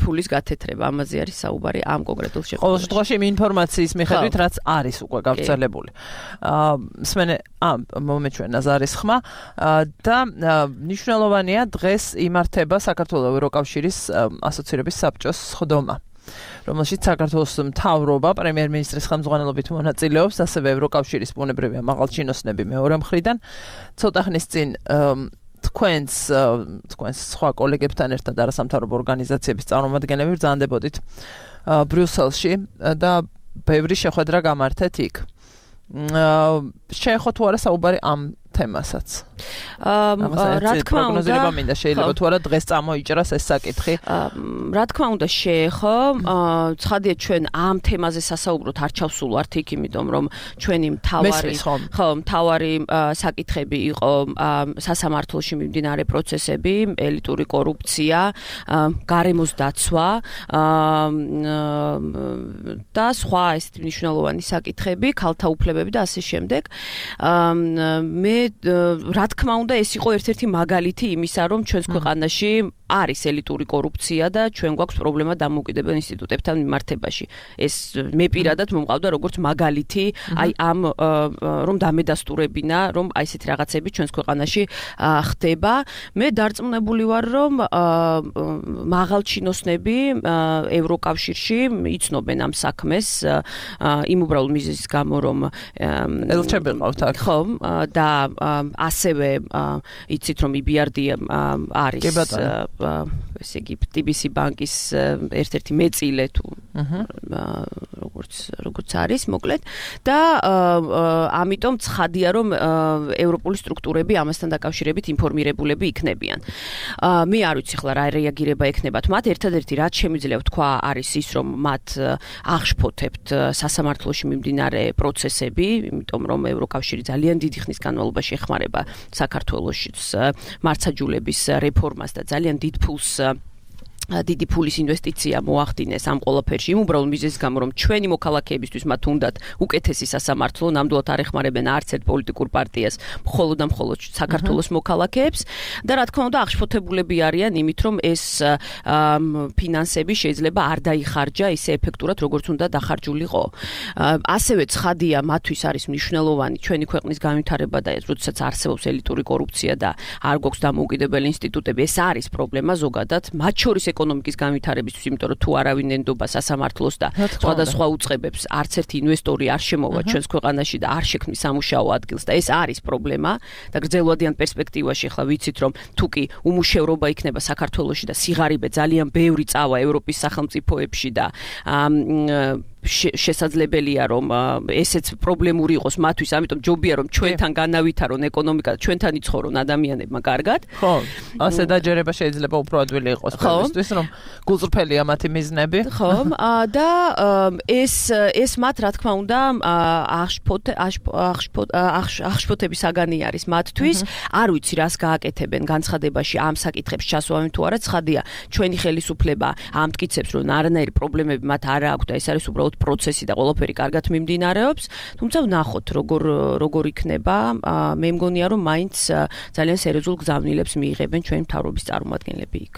C: ფულის გათეთრება. ამაზე არის საუბარი ამ კონკრეტულ შემთხვევაში.
B: ყოველ შემთხვევაში იმ ინფორმაციის მიხედვით, რაც არის უკვე გავრცელებული. სმენე, ამ მომეჩვენა ზარის ხმა და მნიშვნელოვანია დღეს იმართება საქართველოს ევროკავშირის ასოცირების საბჭოს სხდომა, რომელშიც საქართველოს მთავრობა პრემიერ-მინისტრის ხელმძღვანელობით მონაწილეობს, ასევე ევროკავშირის ბუნებრივი მაღალჩინოსნები მეორე მხრიდან. ცოტა ხნის წინ თქვენს თქვენს სხვა კოლეგებთან ერთად არასამთავრობო ორგანიზაციების წარმომადგენლები ბრძანდებოდით ბრიუსელში და ბევრი შეხვედრა გამართეთ იქ. შეეხო თუ არა საუბარი ამ თემასაც.
C: რა თქმა უნდა,
B: მინდა შეიძლება თუ არა დღეს წამოიჭრას ეს საკითხი.
C: რა თქმა უნდა შეეხო, ცხადია ჩვენ ამ თემაზე სასაუბროთ არ ჩავსულვართ იქ, იმიტომ რომ ჩვენი მთავარი ხო, მთავარი საკითხები იყო სასამართლოში მიმდინარე პროცესები, ელიტური კორუფცია, გარემოს დაცვა და სხვა ეს მნიშვნელოვანი საკითხები, ქალთა უფლებები და ასე შემდეგ. მე რა თქმა უნდა ეს იყო ერთ-ერთი მაგალითი იმისა, რომ ჩვენს ქვეყანაში არის ელიტური კორუფცია და ჩვენ გვაქვს პრობლემა დამოუკიდებელ ინსტიტუტებთან მიმართებაში. ეს მე პირადად მომყავდა როგორც მაგალითი, აი ამ რომ დამედასტურებინა, რომ აი ესეთი რაღაცები ჩვენს ქვეყანაში ხდება. მე დარწმუნებული ვარ, რომ მაღალჩინოსნები ევროკავშირში იცნობენ ამ საქმეს, იმ უბრალოდ მიზეზის გამო, რომ
B: ელჩები ყავთ აქ.
C: ხო, და ასევე იცით, რომ ი ბი არ დი არის ესე იგი ტი ბი სი ბანკის ერთ-ერთი მეწილე თუ როგორც როგორც არის მოკლედ და ამიტომ ცხადია რომ ევროპული სტრუქტურები ამასთან დაკავშირებით ინფორმირებულები იქნებიან. მე არ ვიცი ხლა რა რეაგირება ექნებათ მათ, ერთადერთი რაც შემიძლია ვთქვა არის ის რომ მათ აღშფოთებთ სასამართლოში მიმდინარე პროცესები, იმიტომ რომ ევროკავშირი ძალიან დიდი ხნის განმავლობაში ეხმარება საქართველოსშიც მართლმსაჯულების რეფორმას და ძალიან დიდ ფულს დიდი ფულის ინვესტიცია მოახდინეს ამ ყველაფერში, იმ უბრალოდ მიზეზის გამო, რომ ჩვენი მოქალაქეებისთვის მათ უნდათ უკეთესი სასამართლო, ნამდვილად არ ეხმარებენ არც ერთ პოლიტიკურ პარტიას, მხოლოდ და მხოლოდ საქართველოს მოქალაქეებს და რა თქმა უნდა აღშფოთებულები არიან იმით, რომ ეს ფინანსები შეიძლება არ დაიხარჯა ისე ეფექტურად, როგორც უნდა დახარჯულიყო. ასევე ცხადია მათთვის არის მნიშვნელოვანი ჩვენი ქვეყნის განვითარება და როდესაც არსებობს ელიტური კორუფცია და არ გვაქვს დამოუკიდებელი ინსტიტუტები, ეს არის პრობლემა ზოგადად, მათ შორის ეკონომიკის განვითარებისთვის, იმიტომ რომ თუ არავინ ენდობა სასამართლოს და სხვადასხვა უწყებებს, არც ერთი ინვესტორი არ შემოვა ჩვენს ქვეყანაში და არ შექმნის სამუშაო ადგილს და ეს არის პრობლემა და გრძელვადიან პერსპექტივაში ახლა ვიცით რომ თუ კი უმუშევრობა იქნება საქართველოში და სიღარიბე ძალიან ბევრი წავა ევროპის სახელმწიფოებში და შესაძლებელია რომ ესეც პრობლემური იყოს მათთვის, ამიტომ ჯობია რომ ჩვენთან განავითარონ ეკონომიკა და ჩვენთან იცხოვრონ ადამიანებმა კარგად.
B: ხო, ასე დაჯერება შეიძლება უფრო ადვილი იყოს ყველასთვის, რომ გულწრფელია მათი მიზნები.
C: ხო, და ეს ეს მათ რა თქმა უნდა აღშფოთე აღშფოთების საგანი არის მათთვის. არ ვიცი რას გააკეთებენ განცხადებაში ამ საკითხებს ჩასვავენ თუ არა, ცხადია ჩვენი ხელისუფლება ამტკიცებს რომ არანაირი პრობლემები მათ არ აქვს და ეს არის უბრალოდ პროცესი და ყველაფერი კარგად მიმდინარეობს, თუმცა ვნახოთ როგორ როგორ იქნება. მე მგონია რომ მაინც ძალიან სერიოზულ გზავნილებს მიიღებენ ჩვენი მთავრობის წარმომადგენლები იქ.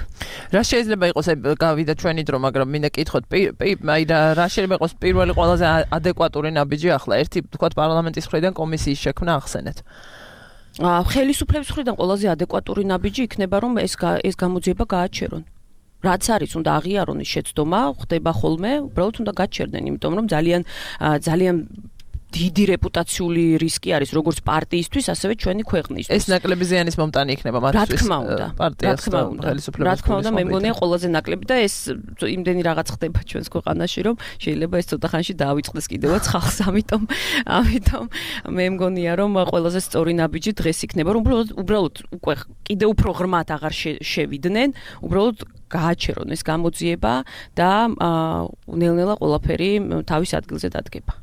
B: რა შეიძლება იყოს, გავიდა ჩვენი დრო, მაგრამ მინდა კითხოთ, აი რა შეიძლება იყოს პირველი ყველაზე ადეკვატური ნაბიჯი ახლა, ერთი თქვათ პარლამენტის მხრიდან კომისიის შექმნა ახსენეთ.
C: ხელისუფლების მხრიდან ყველაზე ადეკვატური ნაბიჯი იქნება რომ ეს ეს გამოძიება გააჩერონ. რაც არის უნდა აღიარონ ის შეცდომა, ხდება ხოლმე, უბრალოდ უნდა გაჩერდნენ, იმიტომ რომ ძალიან ძალიან დიდი რეპუტაციული რისკი არის როგორც პარტიისთვის, ასევე ჩვენი ქვეყნისთვის.
B: ეს ნაკლები ზიანის მომტანი იქნება მათთვის.
C: რა თქმა უნდა,
B: პარტიას
C: და ხელისუფლებას. რა თქმა უნდა, მე მგონია ყველაზე ნაკლები და ეს იმდენი რაღაც ხდება ჩვენს ქვეყანაში, რომ შეიძლება ეს ცოტა ხანში დაავიწყდეს კიდევაც ხალხს, ამიტომ ამიტომ მე მგონია რომ ყველაზე სწორი ნაბიჯი დღეს იქნება, რომ უბრალოდ უბრალოდ უკვე კიდევ უფრო ღრმად აღარ შევიდნენ, უბრალოდ გააჩერონ ეს გამოძიება და ნელ-ნელა ყველაფერი თავის ადგილზე დადგება.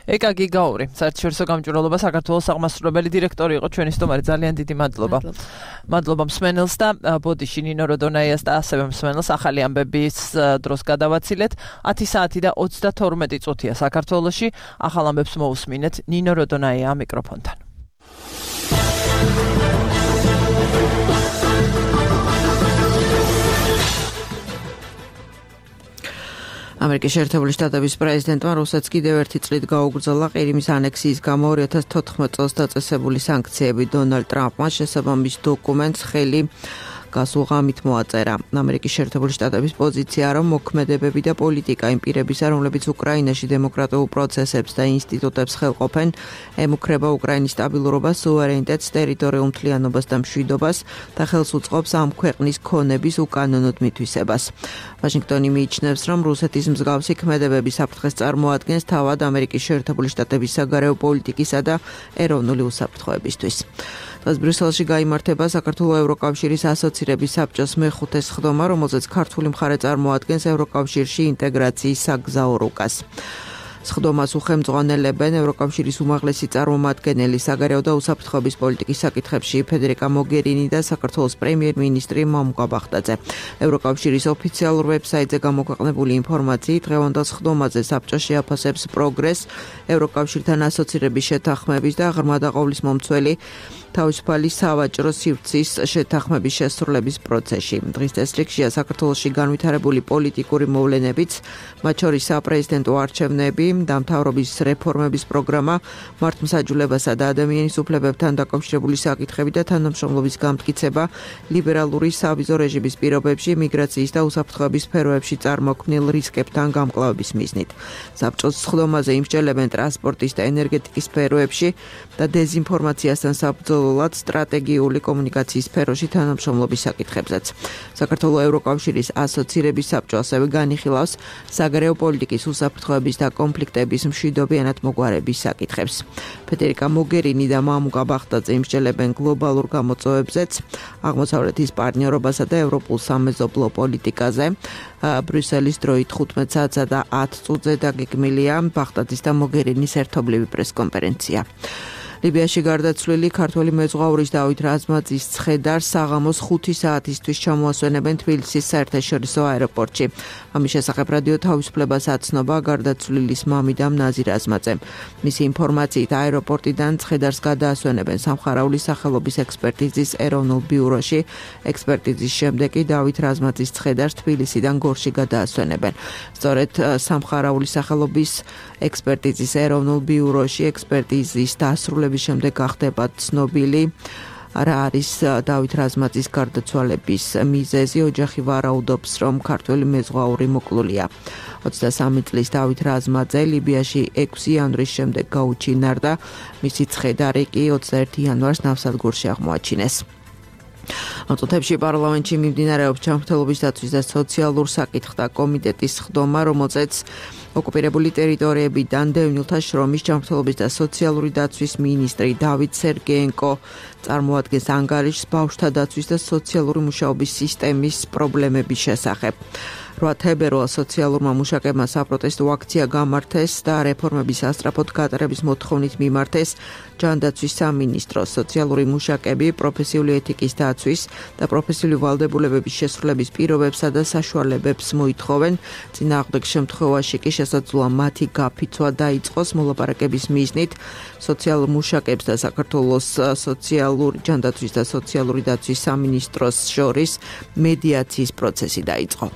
B: ეკა გიგაური, საერთაშორისო გამჭვირვალობა საქართველოს აღმასრულებელი დირექტორი იყო ჩვენი სტუმარი, ძალიან დიდი მადლობა. მადლობა მსმენელს და ბოდიში ნინო როდონაიას და ასევე მსმენელს ახალი ამბების დროს გადავაცილეთ. ათი საათი და ოცდათორმეტი წუთია საქართველოში, ახალ ამბებს მოусმინეთ ნინო როდონაია მიკროფონთან.
F: ამერიკის შეერთებული შტატების პრეზიდენტმა რუსეთს კიდევ ერთი წლით გაუგრძელა ყირიმის ანექსიის გამო ორი ათას თოთხმეტ წელს დაწესებული სანქციები. დონალდ ტრამპმა შესაბამის დოკუმენტს ხელი გასულ ღამით მოაწერა. ამერიკის შეერთებული შტატების პოზიცია, რომ მოქმედებები და პოლიტიკა იმ პირებისა, რომლებიც უკრაინაში დემოკრატიულ პროცესებს და ინსტიტუტებს ხელყოფენ, ემუქრება უკრაინის სტაბილურობას, სუვერენიტეტს, ტერიტორიულ მთლიანობას და მშვიდობას და ხელს უწყობს ამ ქვეყნის ქონების უკანონოდ მითვისებას. ვაშინგტონი მიიჩნევს, რომ რუსეთის მსგავსი ქმედებები საფრთხეს წარმოადგენს თავად ამერიკის შეერთებული შტატების საგარეო პოლიტიკისა და ეროვნული უსაფრთხოებისთვის. დღეს ბრიუსელში გაიმართება საქართველოს ევროკავშირის ასოცირების საბჭოს მეხუთე სხდომა, რომელზეც ქართული მხარე წარმოადგენს ევროკავშირში ინტეგრაციის საგზაო რუკას. სხდომას უხელმძღვანელებენ ევროკავშირის უმაღლესი წარმომადგენელი საგარეო და უსაფრთხოების პოლიტიკის საკითხებში ფედერიკა მოგერინი და საქართველოს პრემიერ-მინისტრი მომკა ბახტაძე. ევროკავშირის ოფიციალურ ვებსაიტზე გამოქვეყნებული ინფორმაციით, დღევანდელ სხდომაზე საბჭო შეაფასებს პროგრესს ევროკავშირთან ასოცირების შეთანხმების და ღრმა დაყოლის მომცველი თავისუფალი სავაჭრო სივრცის შეთანხმების შესრულების პროცესში. დღის წესრიგშია საქართველოში განვითარებული პოლიტიკური მოვლენებიც, მათ შორის საპრეზიდენტო არჩევნები, დამთავრების რეფორმების პროგრამა, მართლმსაჯულებასა და ადამიანის უფლებებთან დაკავშირებული საკითხები და თანამშრომლობის გამტკიცება, ლიბერალური სავიზო რეჟიმის პირობებში, მიგრაციის და უსაფრთხოების სფეროებში წარმოქმნილ რისკებთან გამკლავების მიზნით. საბჭოს სხდომაზე იმსჯელებენ ტრანსპორტის და ენერგეტიკის სფეროებში და დეზინფორმაციასთან საბრძოლოდ სტრატეგიული კომუნიკაციის სფეროში თანამშრომლობის საკითხებზეც. საქართველოს ევროკავშირის ასოცირების საბჭო ასევე განიხილავს საგარეო პოლიტიკის უსაფრთხოების და კონფლიქტების მშვიდობიანად მოგვარების საკითხებს. ფედერიკა მოგერინი და მამუკა ბახტაძე იმსჯელებენ გლობალურ გამოწვევებზეც, აღმოსავლეთის პარტნიორობასა და ევროპულ სამეზობლო პოლიტიკაზე. ბრიუსელის დროით ხუთმეტ საათსა და ათ წუთზე დაგეგმილია ბახტაძის და მოგერინის ერთობლივი პრესკონფერენცია. ლიბიაში გარდაცვლილი ქართველი მეზღვაურის დავით რაზმაძის ცხედარს საღამოს ხუთი საათისთვის ჩამოასვენებენ თბილისის საერთაშორისო აეროპორტში. ამის შესახებ რადიო თავისუფლებას აცნობა გარდაცვლილის მამიდამ ნაზი რაზმაძემ. მისი ინფორმაციით აეროპორტიდან ცხედარს გადაასვენებენ სამხარაულის სახელობის ექსპერტიზის ეროვნულ ბიუროში. ექსპერტიზის შემდეგ კი დავით რაზმაძის ცხედარს თბილისიდან გორში გადაასვენებენ. სწორედ სამხარაულის სახელობის ექსპერტიზის ეროვნულ ბიუროში ექსპერტიზის დასრულების შემდეგ გახდება ცნობილი რა არის დავით რაზმაძის გარდაცვალების მიზეზი. ოჯახი ვარაუდობს, რომ ქართველი მეზღვაური მოკლულია. ოცდასამი წლის დავით რაზმაძე ლიბიაში ექვსი იანვრის შემდეგ გაუჩინარდა, მისი ცხედარი კი ოცდაერთი იანვარს ნავსადგურში აღმოაჩინეს. ამ წუთებში პარლამენტში მიმდინარეობს ჯანმრთელობის დაცვის და სოციალურ საკითხთა კომიტეტის სხდომა, რომელზეც ოკუპირებული ტერიტორიებიდან დევნილთა შრომის ჯანმრთელობის და სოციალური დაცვის მინისტრი დავით სერგეენკო წარმოადგენს ანგარიშს ბავშვთა დაცვის და სოციალური მუშაობის სისტემის პრობლემების შესახებ. რვა თებერვალს სოციალურმა მუშაკებმა საპროტესტო აქცია გამართეს და რეფორმების ასწრაფოდ გატარების მოთხოვნით მიმართეს ჯანდაცვის სამინისტროს. სოციალური მუშაკები პროფესიული ეთიკის დაცვის და პროფესიული ვალდებულებების შესრულების პირობებსა და საშუალებებს მოითხოვენ. წინააღმდეგ შემთხვევაში კი შესაძლოა მათი გაფიცვა დაიწყოს. მოლაპარაკების მიზნით სოციალურ მუშაკებს და საქართველოს სოციალური ჯანდაცვის და სოციალური დაცვის სამინისტროს შორის მედიაციის პროცესი დაიწყო.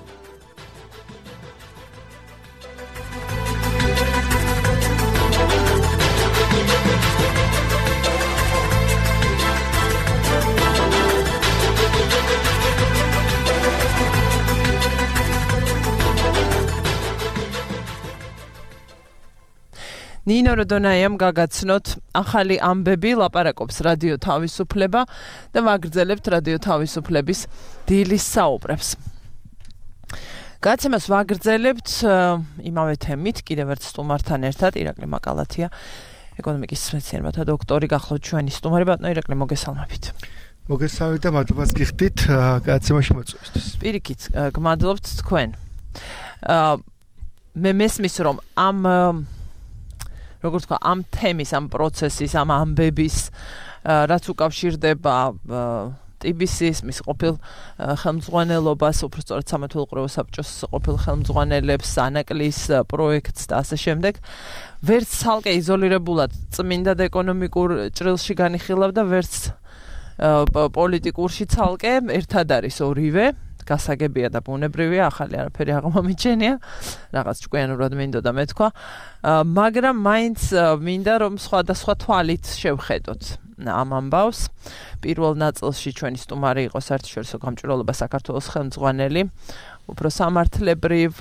B: ნინო როდონაიამ გაგაცნოთ ახალი ამბები, ლაპარაკობს რადიო თავისუფლება და ვაგრძელებთ რადიო თავისუფლების დილის საუბრებს. გაცემას ვაგრძელებთ იმავე თემით, კიდევ ერთ სტუმართან ერთად, ირაკლი მაკალათია, ეკონომიკის მეცნიერებათა დოქტორი, გახლავთ ჩვენი სტუმარი. ბატონო ირაკლი, მოგესალმებით.
G: მოგესალმებით და მადლობას გიხდით გაცემაში მოწვევისთვის.
B: პირიქით, გმადლობთ თქვენ. მე მესმის, რომ ამ როგორც თქვა, ამ თემის, ამ პროცესის, ამ ამბების, რაც უკავშირდება ტი ბი სი-ს, მის ყოფილ ხელმძღვანელობას, უბრალოდ სამართლებრივ ყურებო საბჭოს ყოფილ ხელმძღვანელებს, ანაკლის პროექტს და ასე შემდეგ, ვერც ცალკე იზოლირებულად წმინდა და ეკონომიკურ ჭრილში განიხილავდა, ვერც პოლიტიკურში ცალკე, ერთად არის ორივე. გასაგებია და ბუნებრივია, ახალი არაფერი აღმომიჩენია, რაღაც ჭკვიანურად მინდოდა მეთქვა, მაგრამ მაინც მინდა რომ სხვადასხვა თვალით შევხედოთ ამ ამბავს. პირველ ნაწილში ჩვენი სტუმარი იყო საერთაშორისო გამჭვირვალობა საქართველოს ხელმძღვანელი, უფრო სამართლებრივ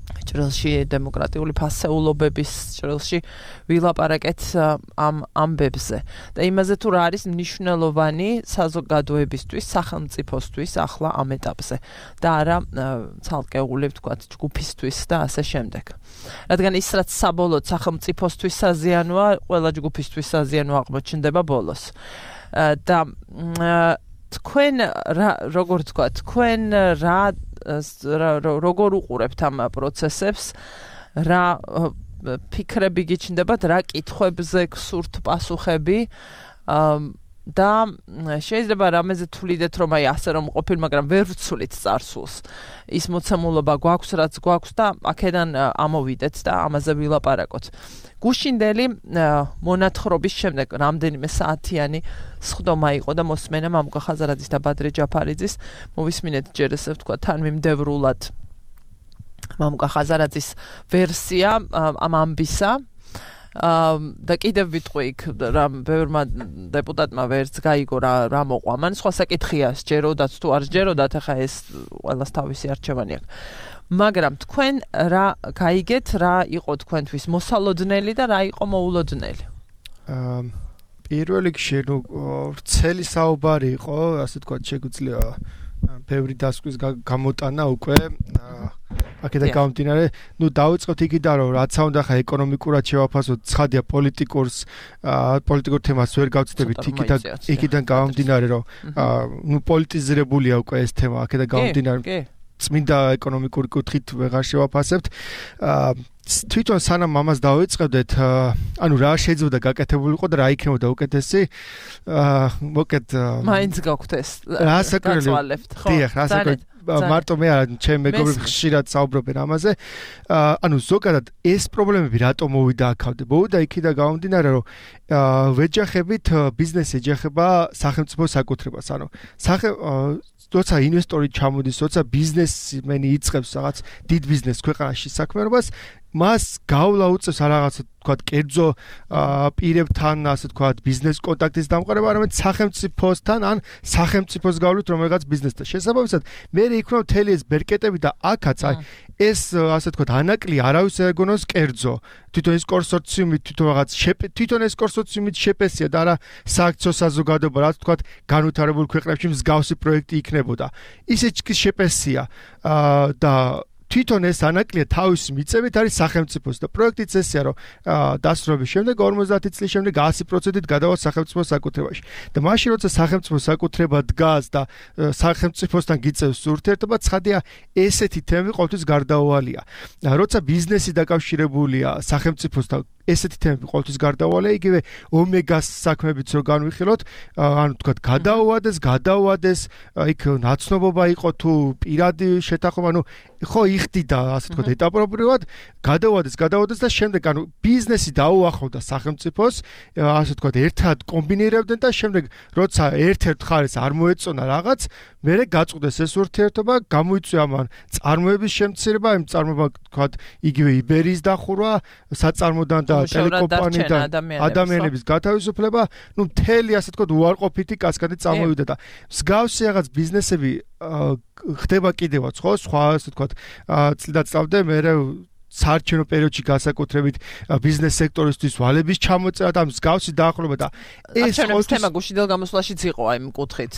B: ჭრილში დემოკრატიული ფასეულობების ჭრილში ვილაპარაკეთ ამ ამბებზე და იმაზე თუ რა არის მნიშვნელოვანი საზოგადოებისთვის, სახელმწიფოსთვის ახლა ამ ეტაპზე და არა ცალკეული ვთქვათ ჯგუფისთვის და ასე შემდეგ. რადგან ის რაც საბოლოოდ სახელმწიფოსთვის საზიანოა, ყველა ჯგუფისთვის საზიანო აღმოჩნდება ბოლოს. და თქვენ როგორ ვთქვათ, თქვენ რა როგორ უყურებთ ამ პროცესებს, რა ფიქრები გიჩნდებათ, რა კითხვებზე გსურთ პასუხები, და შეიძლება რამეზე თვლიდეთ რომ აი ასე რომ ყოფილ, მაგრამ ვერ ვცვლით წარსულს. ის მოცემულობა გვაქვს, რაც გვაქვს და აქედან ამოვიდეთ და ამაზე ვილაპარაკოთ. გუშინდელი მონათხრობის შემდეგ რამდენიმე საათიანი სხდომა იყო და მოსმენა მამუკა ხაზარაძის და ბადრე ჯაფარიძის. მოვისმინეთ ჯერ ესე ვთქვა თან მიმდევრულად მამუკა ხაზარაძის ვერსია ამ ამბისა. და კიდევ ვიტყვი იქ რა ბევრმა დეპუტატმა ვერც გაიგო რა რა მოყვა. მან სხვა საკითხია სჯეროდათ თუ არ სჯეროდათ, ახლა ეს ყველას თავისი არჩევანი აქვს. მაგრამ თქვენ რა გაიგეთ, რა იყო თქვენთვის მოსალოდნელი და რა იყო მოულოდნელი?
G: აა პირველ რიგში ნუ ვრცელი საუბარი იყო, ასე თქვა, შეგვიძლია ბევრი დასკვის გამოტანა უკვე აქედან გამომდინარე, ნუ დავიწყოთ იქიდან რომ რაც უნდა ხა ეკონომიკურად შევაფასოთ, ცხადია პოლიტიკურს პოლიტიკურ თემას ვერ გავწდებით იქიდან იქიდან გამომდინარე რომ ნუ პოლიტიზირებულია უკვე ეს თემა აქედან გამომდინარე წმინდა ეკონომიკური კუთხით ვეღარ შევაფასებთ. თვითონ სანამ ამას დავიწყებდეთ, ანუ რა შეიძლება გაკეთებულიყო და რა იქნებოდა უკეთესი, მოკეთ
B: მაინც გაქვთ ეს
G: გაწვალებთ, ხო? დიახ, რასაკვირველია მარტო მე არა, ჩემ მეგობრები ხშირად საუბრობენ ამაზე. ანუ ზოგადად ეს პრობლემები რატომ მოვიდა აქამდე? მოვიდა იქიდან გამომდინარე, რომ ვეჯახებით ბიზნესი ეჯახება სახელმწიფო საკუთრებას. ანუ სახე როცა ინვესტორი ჩამოდის, როცა ბიზნესმენი იწყებს რაღაც დიდ ბიზნეს ქვეყანაში საქმიანობას, მას გავლა უწევს რაღაცა თქვა კერძო პირებთან, ასე თქვა ბიზნეს კონტაქტის დამყარება, არამედ სახელმწიფოსთან ან სახელმწიფოს გავლით რომელიღაც ბიზნესთან. შესაბამისად, მე იქნება მთელი ეს ბერკეტები და აქაც აი ეს ასე თქვა ანაკლი არავის ეგონოს კერძო. თვითონ ეს კონსორციუმი თვითონ რაღაც თვითონ ეს კონსორციუმით შეპესია და არა სააქციო საზოგადოება, რაც თქვა განვითარებულ ქვეყნებში მსგავსი პროექტი იქნებოდა. ისიც კი შეპესია და თვითონ ეს ანაკლია თავისი მიწებით არის სახელმწიფოს და პროექტიც ესეა რომ დასრულების შემდეგ ორმოცდაათი წლის შემდეგ ასი პროცენტით გადავა სახელმწიფოს საკუთრებაში. და მაშინ როცა სახელმწიფოს საკუთრება დგას და სახელმწიფოსთან გიწევს ურთიერთობა, ცხადია ესეთი თემები ყოველთვის გარდაუვალია. როცა ბიზნესი დაკავშირებულია სახელმწიფოსთან, ესეთი თემები ყოველთვის გარდაუვალია, იგივე ომეგას საქმეებიც რო განვიხილოთ, ანუ თქვა გადაუვადეს, გადაუვადეს, იქ ნაცნობობა იყო თუ პირადი შეთანხმება, ანუ ხო იხდიდა ასე თქვა ეტაპობრივად, გადაუვადეს, გადაუვადეს და შემდეგ ანუ ბიზნესი დაუახლოვდა სახელმწიფოს, ასე თქვა ერთად კომბინირებდნენ და შემდეგ როცა ერთ-ერთ ხარეს არ მოეწონა რაღაც, მერე გაწყვდეს ეს ურთიერთობა, გამოიწვია მან წარმოების შემცირება, იმ წარმოება თქვა იგივე იბერიის დახურვა, საწარმოდან და ტელეკომპანიიდან ადამიანების გათავისუფლება, ну მთელი ასე თქვა უარყოფითი კასკადი წამოვიდა და მსგავსი რაღაც ბიზნესები ხდება კიდევაც, ხო, სხვა ასე თქვა წლიდა წავდე მე საარჩევნო პერიოდში განსაკუთრებით ბიზნეს სექტორისთვის ვალების ჩამოწერა და მსგავსი დაახლოება და
B: ეს ყოველთვის თემა გუშინდელ გამოსვლაშიც იყო აი იმ კუთხით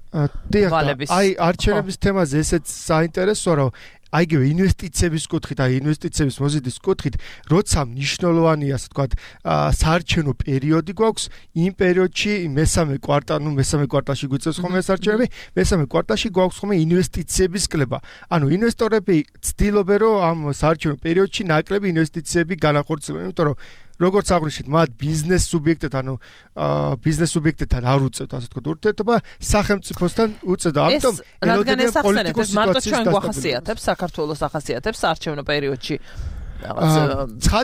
G: ვალების. აი არჩევნების თემაზე ესეც საინტერესოა რომ აიგივე ინვესტიციების კუთხით, აი ინვესტიციების მოზიდის კუთხით, როცა მნიშვნელოვანია, ასე ვთქვათ, საარჩევნო პერიოდი გვაქვს, იმ პერიოდში მესამე კვარტალი, ნუ მესამე კვარტალში გვიწევს ხოლმე საარჩევნები, მესამე კვარტალში გვაქვს ხოლმე ინვესტიციების კლება. ანუ ინვესტორები ცდილობენ, რომ ამ საარჩევნო პერიოდში ნაკლები ინვესტიციები განახორციელონ, იმიტომ რომ როგორც აღნიშნეთ, მათ ბიზნეს სუბიექტებთან, ანუ ბიზნეს სუბიექტებთან არ უწევთ, ასე ვთქვათ, ურთიერთობა, სახელმწიფოსთან უწევთ. ამიტომ
B: რადგან ეს ახსენეთ, მარტო ჩვენ გვახასიათებს, საქართველოს ახასიათებს საარჩევნო პერიოდში რაღაც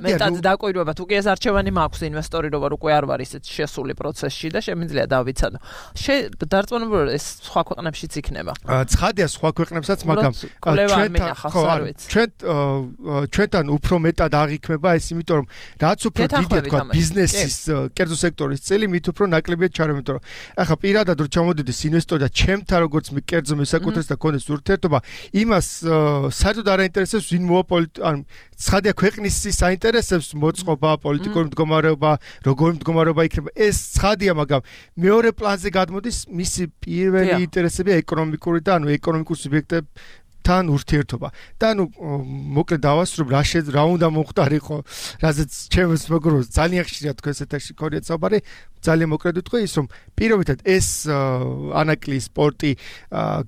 B: მეტად დაკვირვება, თუ კი ეს არჩევანი მაქვს ინვესტორი რო ვარ უკვე არ ვარ ისეთ შესული პროცესში და შემიძლია დავიცადო. დარწმუნებული ეს სხვა ქვეყნებშიც იქნება.
G: ცხადია სხვა ქვეყნებსაც, მაგრამ ჩვენ ჩვენთან უფრო მეტად აღიქმება ეს, იმიტომ რომ რაც უფრო დიდია თქვა ბიზნესის კერძო სექტორის წელი, მით უფრო ნაკლებია ჩარევი, იმიტომ რომ ახლა პირადად რო ჩამოდიდეს ინვესტორი და ჩემთან როგორც კერძო მესაკუთრესთან კონდეს ურთიერთობა, იმას საერთოდ არ აინტერესებს ვინ მოვაპოლიტ ან ცხადია ქვეყნის საინტერესებს მოწყობა, პოლიტიკური მდგომარეობა, როგორი მდგომარეობა იქნება. ეს ცხადია, მაგრამ მეორე პლანზე გადმოდის მისი პირველი ინტერესებია ეკონომიკური და ანუ ეკონომიკურ სუბიექტებთან ურთიერთობა. და ანუ მოკლედ დავასრულებ რა შე რა უნდა მოხდარიყო, რაზეც ჩემს მეგობრებს ძალიან ხშირად თქვენ ესეთაში ქონიათ საუბარი, ძალიან მოკლედ ვიტყვი ის რომ პირობითად ეს ანაკლი სპორტი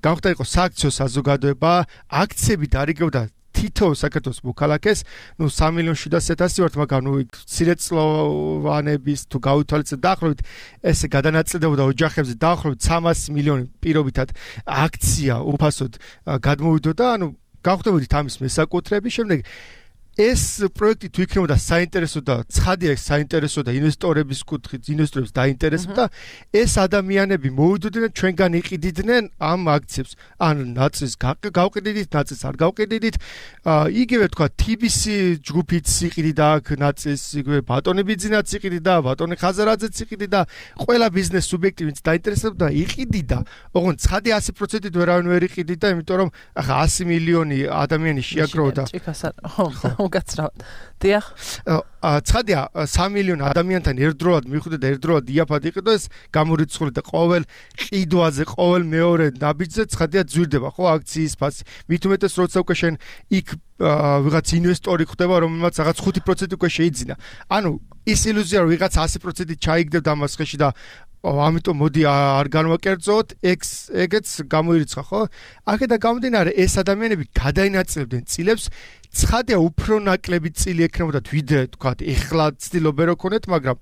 G: გამხდარიყო სააქციო საზოგადოება, აქციები დარიგებდა თითო საქართველოს მოქალაქეს, ნუ სამი მილიონი შვიდასი ათასი ვართ, მაგრამ ნუ მცირეწლოვანების თუ გავითვალისწინებთ დაახლოებით ესე გადანაწილდებოდა ოჯახებზე დაახლოებით სამასი მილიონი პირობითად აქცია უფასოდ გადმოვიდოდა, ანუ გავხდებოდით ამის მესაკუთრების, შემდეგ ეს პროექტი თუ იქნებოდა საინტერესო და ცხადია ეს საინტერესო და ინვესტორების კუთხით ინვესტორებს დაინტერესებდა, ეს ადამიანები მოვიდოდნენ ჩვენგან იყიდიდნენ ამ აქციებს. ან ნაწილს გავყიდით, ნაწილს არ გავყიდით. იგივე თქვა T B C ჯგუფიც იყიდიდა აქ ნაწილს, იგივე ბატონი ბიძინაც იყიდიდა, ბატონი ხაზარაძეც იყიდიდა, ყველა ბიზნეს სუბიექტი ვინც დაინტერესებდა იყიდიდა. ოღონდ ცხადია ასი პროცენტით ვერავინ ვერ იყიდიდა, იმიტომ რომ ახლა ასი მილიონი ადამიანი შეაგროვდა.
B: გაცრავად. დიახ.
G: ცხადია სამი მილიონი ადამიანთან ერთდროულად მივხვდეთ და ერთდროულად იაფად იყიდო ეს გამორიცხული და ყოველ ყიდვაზე, ყოველ მეორე ნაბიჯზე ცხადია ძვირდება ხო აქციის ფასი. მით უმეტეს როცა უკვე შენ იქ ვიღაც ინვესტორი ხდება, რომელმაც რაღაც ხუთი პროცენტი უკვე შეიძინა. ანუ ის ილუზია რომ ვიღაც ასი პროცენტით ჩაიგდებდა ამას ხეში და ამიტომ მოდი არ განვაკერძოთ, ეგს ეგეც გამოირიცხა, ხო? აქედან გამომდინარე, ეს ადამიანები გადაინაწილებდნენ წილებს, ცხადია უფრო ნაკლები წილი ექნებოდათ ვიდრე თქვათ, ეხლა ცდილობენ რო ქონეთ, მაგრამ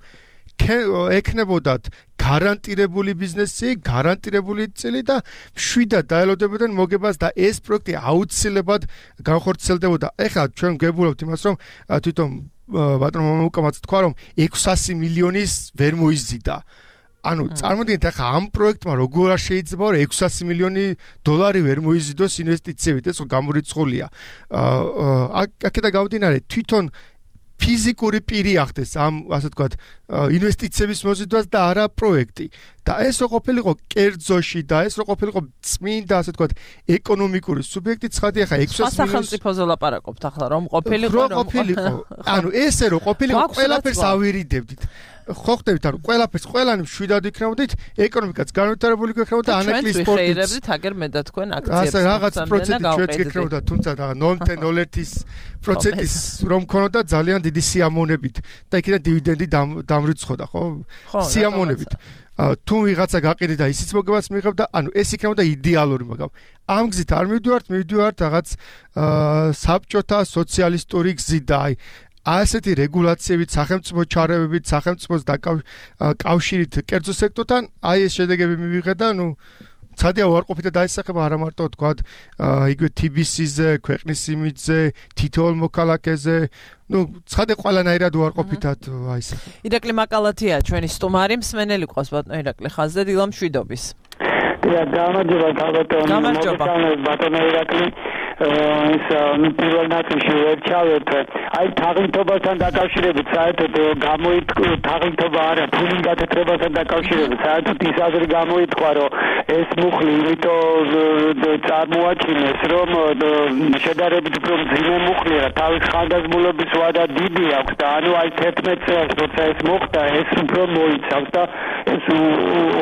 G: ექნებოდათ გარანტირებული ბიზნესი, გარანტირებული წილი და მშვიდად დაელოდებოდნენ მოგებას და ეს პროექტი აუცილებლად განხორციელდებოდა. ეხლა ჩვენ გებულობთ იმას, რომ თვითონ ბატონო მომუკამაც თქვა, რომ ექვსასი მილიონის ვერ მოიზიდა. ანუ წარმოგიდგენთ ახლა ამ პროექტმა როგორ არ შეიძლება რომ ექვსასი მილიონი დოლარი ვერ მოიზიდოს ინვესტიციებით, ეს გამორიცხულია. აქედან გამომდინარე, თვითონ ფიზიკური პირი ახდეს ამ ასე ვთქვათ ინვესტიციების მოზიდვას და არა პროექტი. და ეს რო ყოფილიყო კერძოში და ეს რო ყოფილიყო წმინდა ასე ვთქვათ ეკონომიკური სუბიექტი, ცხადია ახლა ექვსასი მილიონი
B: სახელმწიფოზე ლაპარაკობთ ახლა რომ ყოფილიყო
G: რომ ყოფილიყო. ანუ ესე რო ყოფილიყო ყველაფერს ავირიდებდით. ხო ხდებით, ანუ ყველაფერს ყველანი მშვიდად იქნებოდით, ეკონომიკაც განვითარებული იქნებოდა, ანეკლი სპორტიც.
B: ჩვენ ვიხეირებდით აგერ მე და თქვენ აქციებს.
G: ასე რაღაც პროცენტი ჩვენც გიქნებოდა, თუმცა ნოლ კომა ნოლ ერთი პროცენტის რომ ქონოდა ძალიან დიდი სიამოვნებით და იქიდან დივიდენდი დამრიცხოდა, ხო? სიამოვნებით. თუ ვიღაცა გაყიდე და ისიც მოგებას მიიღებდა, ანუ ეს იქნებოდა იდეალური, მაგრამ ამ გზით არ მივდივართ, მივდივართ რაღაც საბჭოთა სოციალისტური გზით და აი ასეთი რეგულაციებით, სახელმწიფო ჩარევებით, სახელმწიფოს დაკავშირით კერძო სექტორთან, აი ეს შედეგები მივიღეთ და ნუ ცხადია უარყოფითად დაისახება არა მარტო თქვათ, იგივე T B C-ზე, ქვეყნის იმიჯზე, თითოეულ მოქალაქეზე, ნუ ცხადია ყველანაირად უარყოფითად აისახება.
B: ირაკლი მაკალათია ჩვენი სტუმარი, მსმენელი ყავს ბატონო ირაკლი ხაზზე, დილა მშვიდობის.
E: დიახ, გამარჯობა ბატონო.
B: გამარჯობა
E: ბატონო ირაკლი. ის პირველ ნაწილში ვერ ჩავეთ. აი თაღლითობასთან დაკავშირებით საერთოდ გამოითქვა თაღლითობა არა, ფულის გათეთრებასთან დაკავშირებით საერთოდ ის აზრი გამოითქვა, რომ ეს მუხლი იმიტომ წარმოაჩინეს, რომ შედარებით უფრო მძიმე მუხლია, თავის ხანდაზმულობის ვადა დიდი აქვს და ანუ აი თერთმეტ წელს როცა ეს მოხდა, ეს უფრო მოიცავს და ეს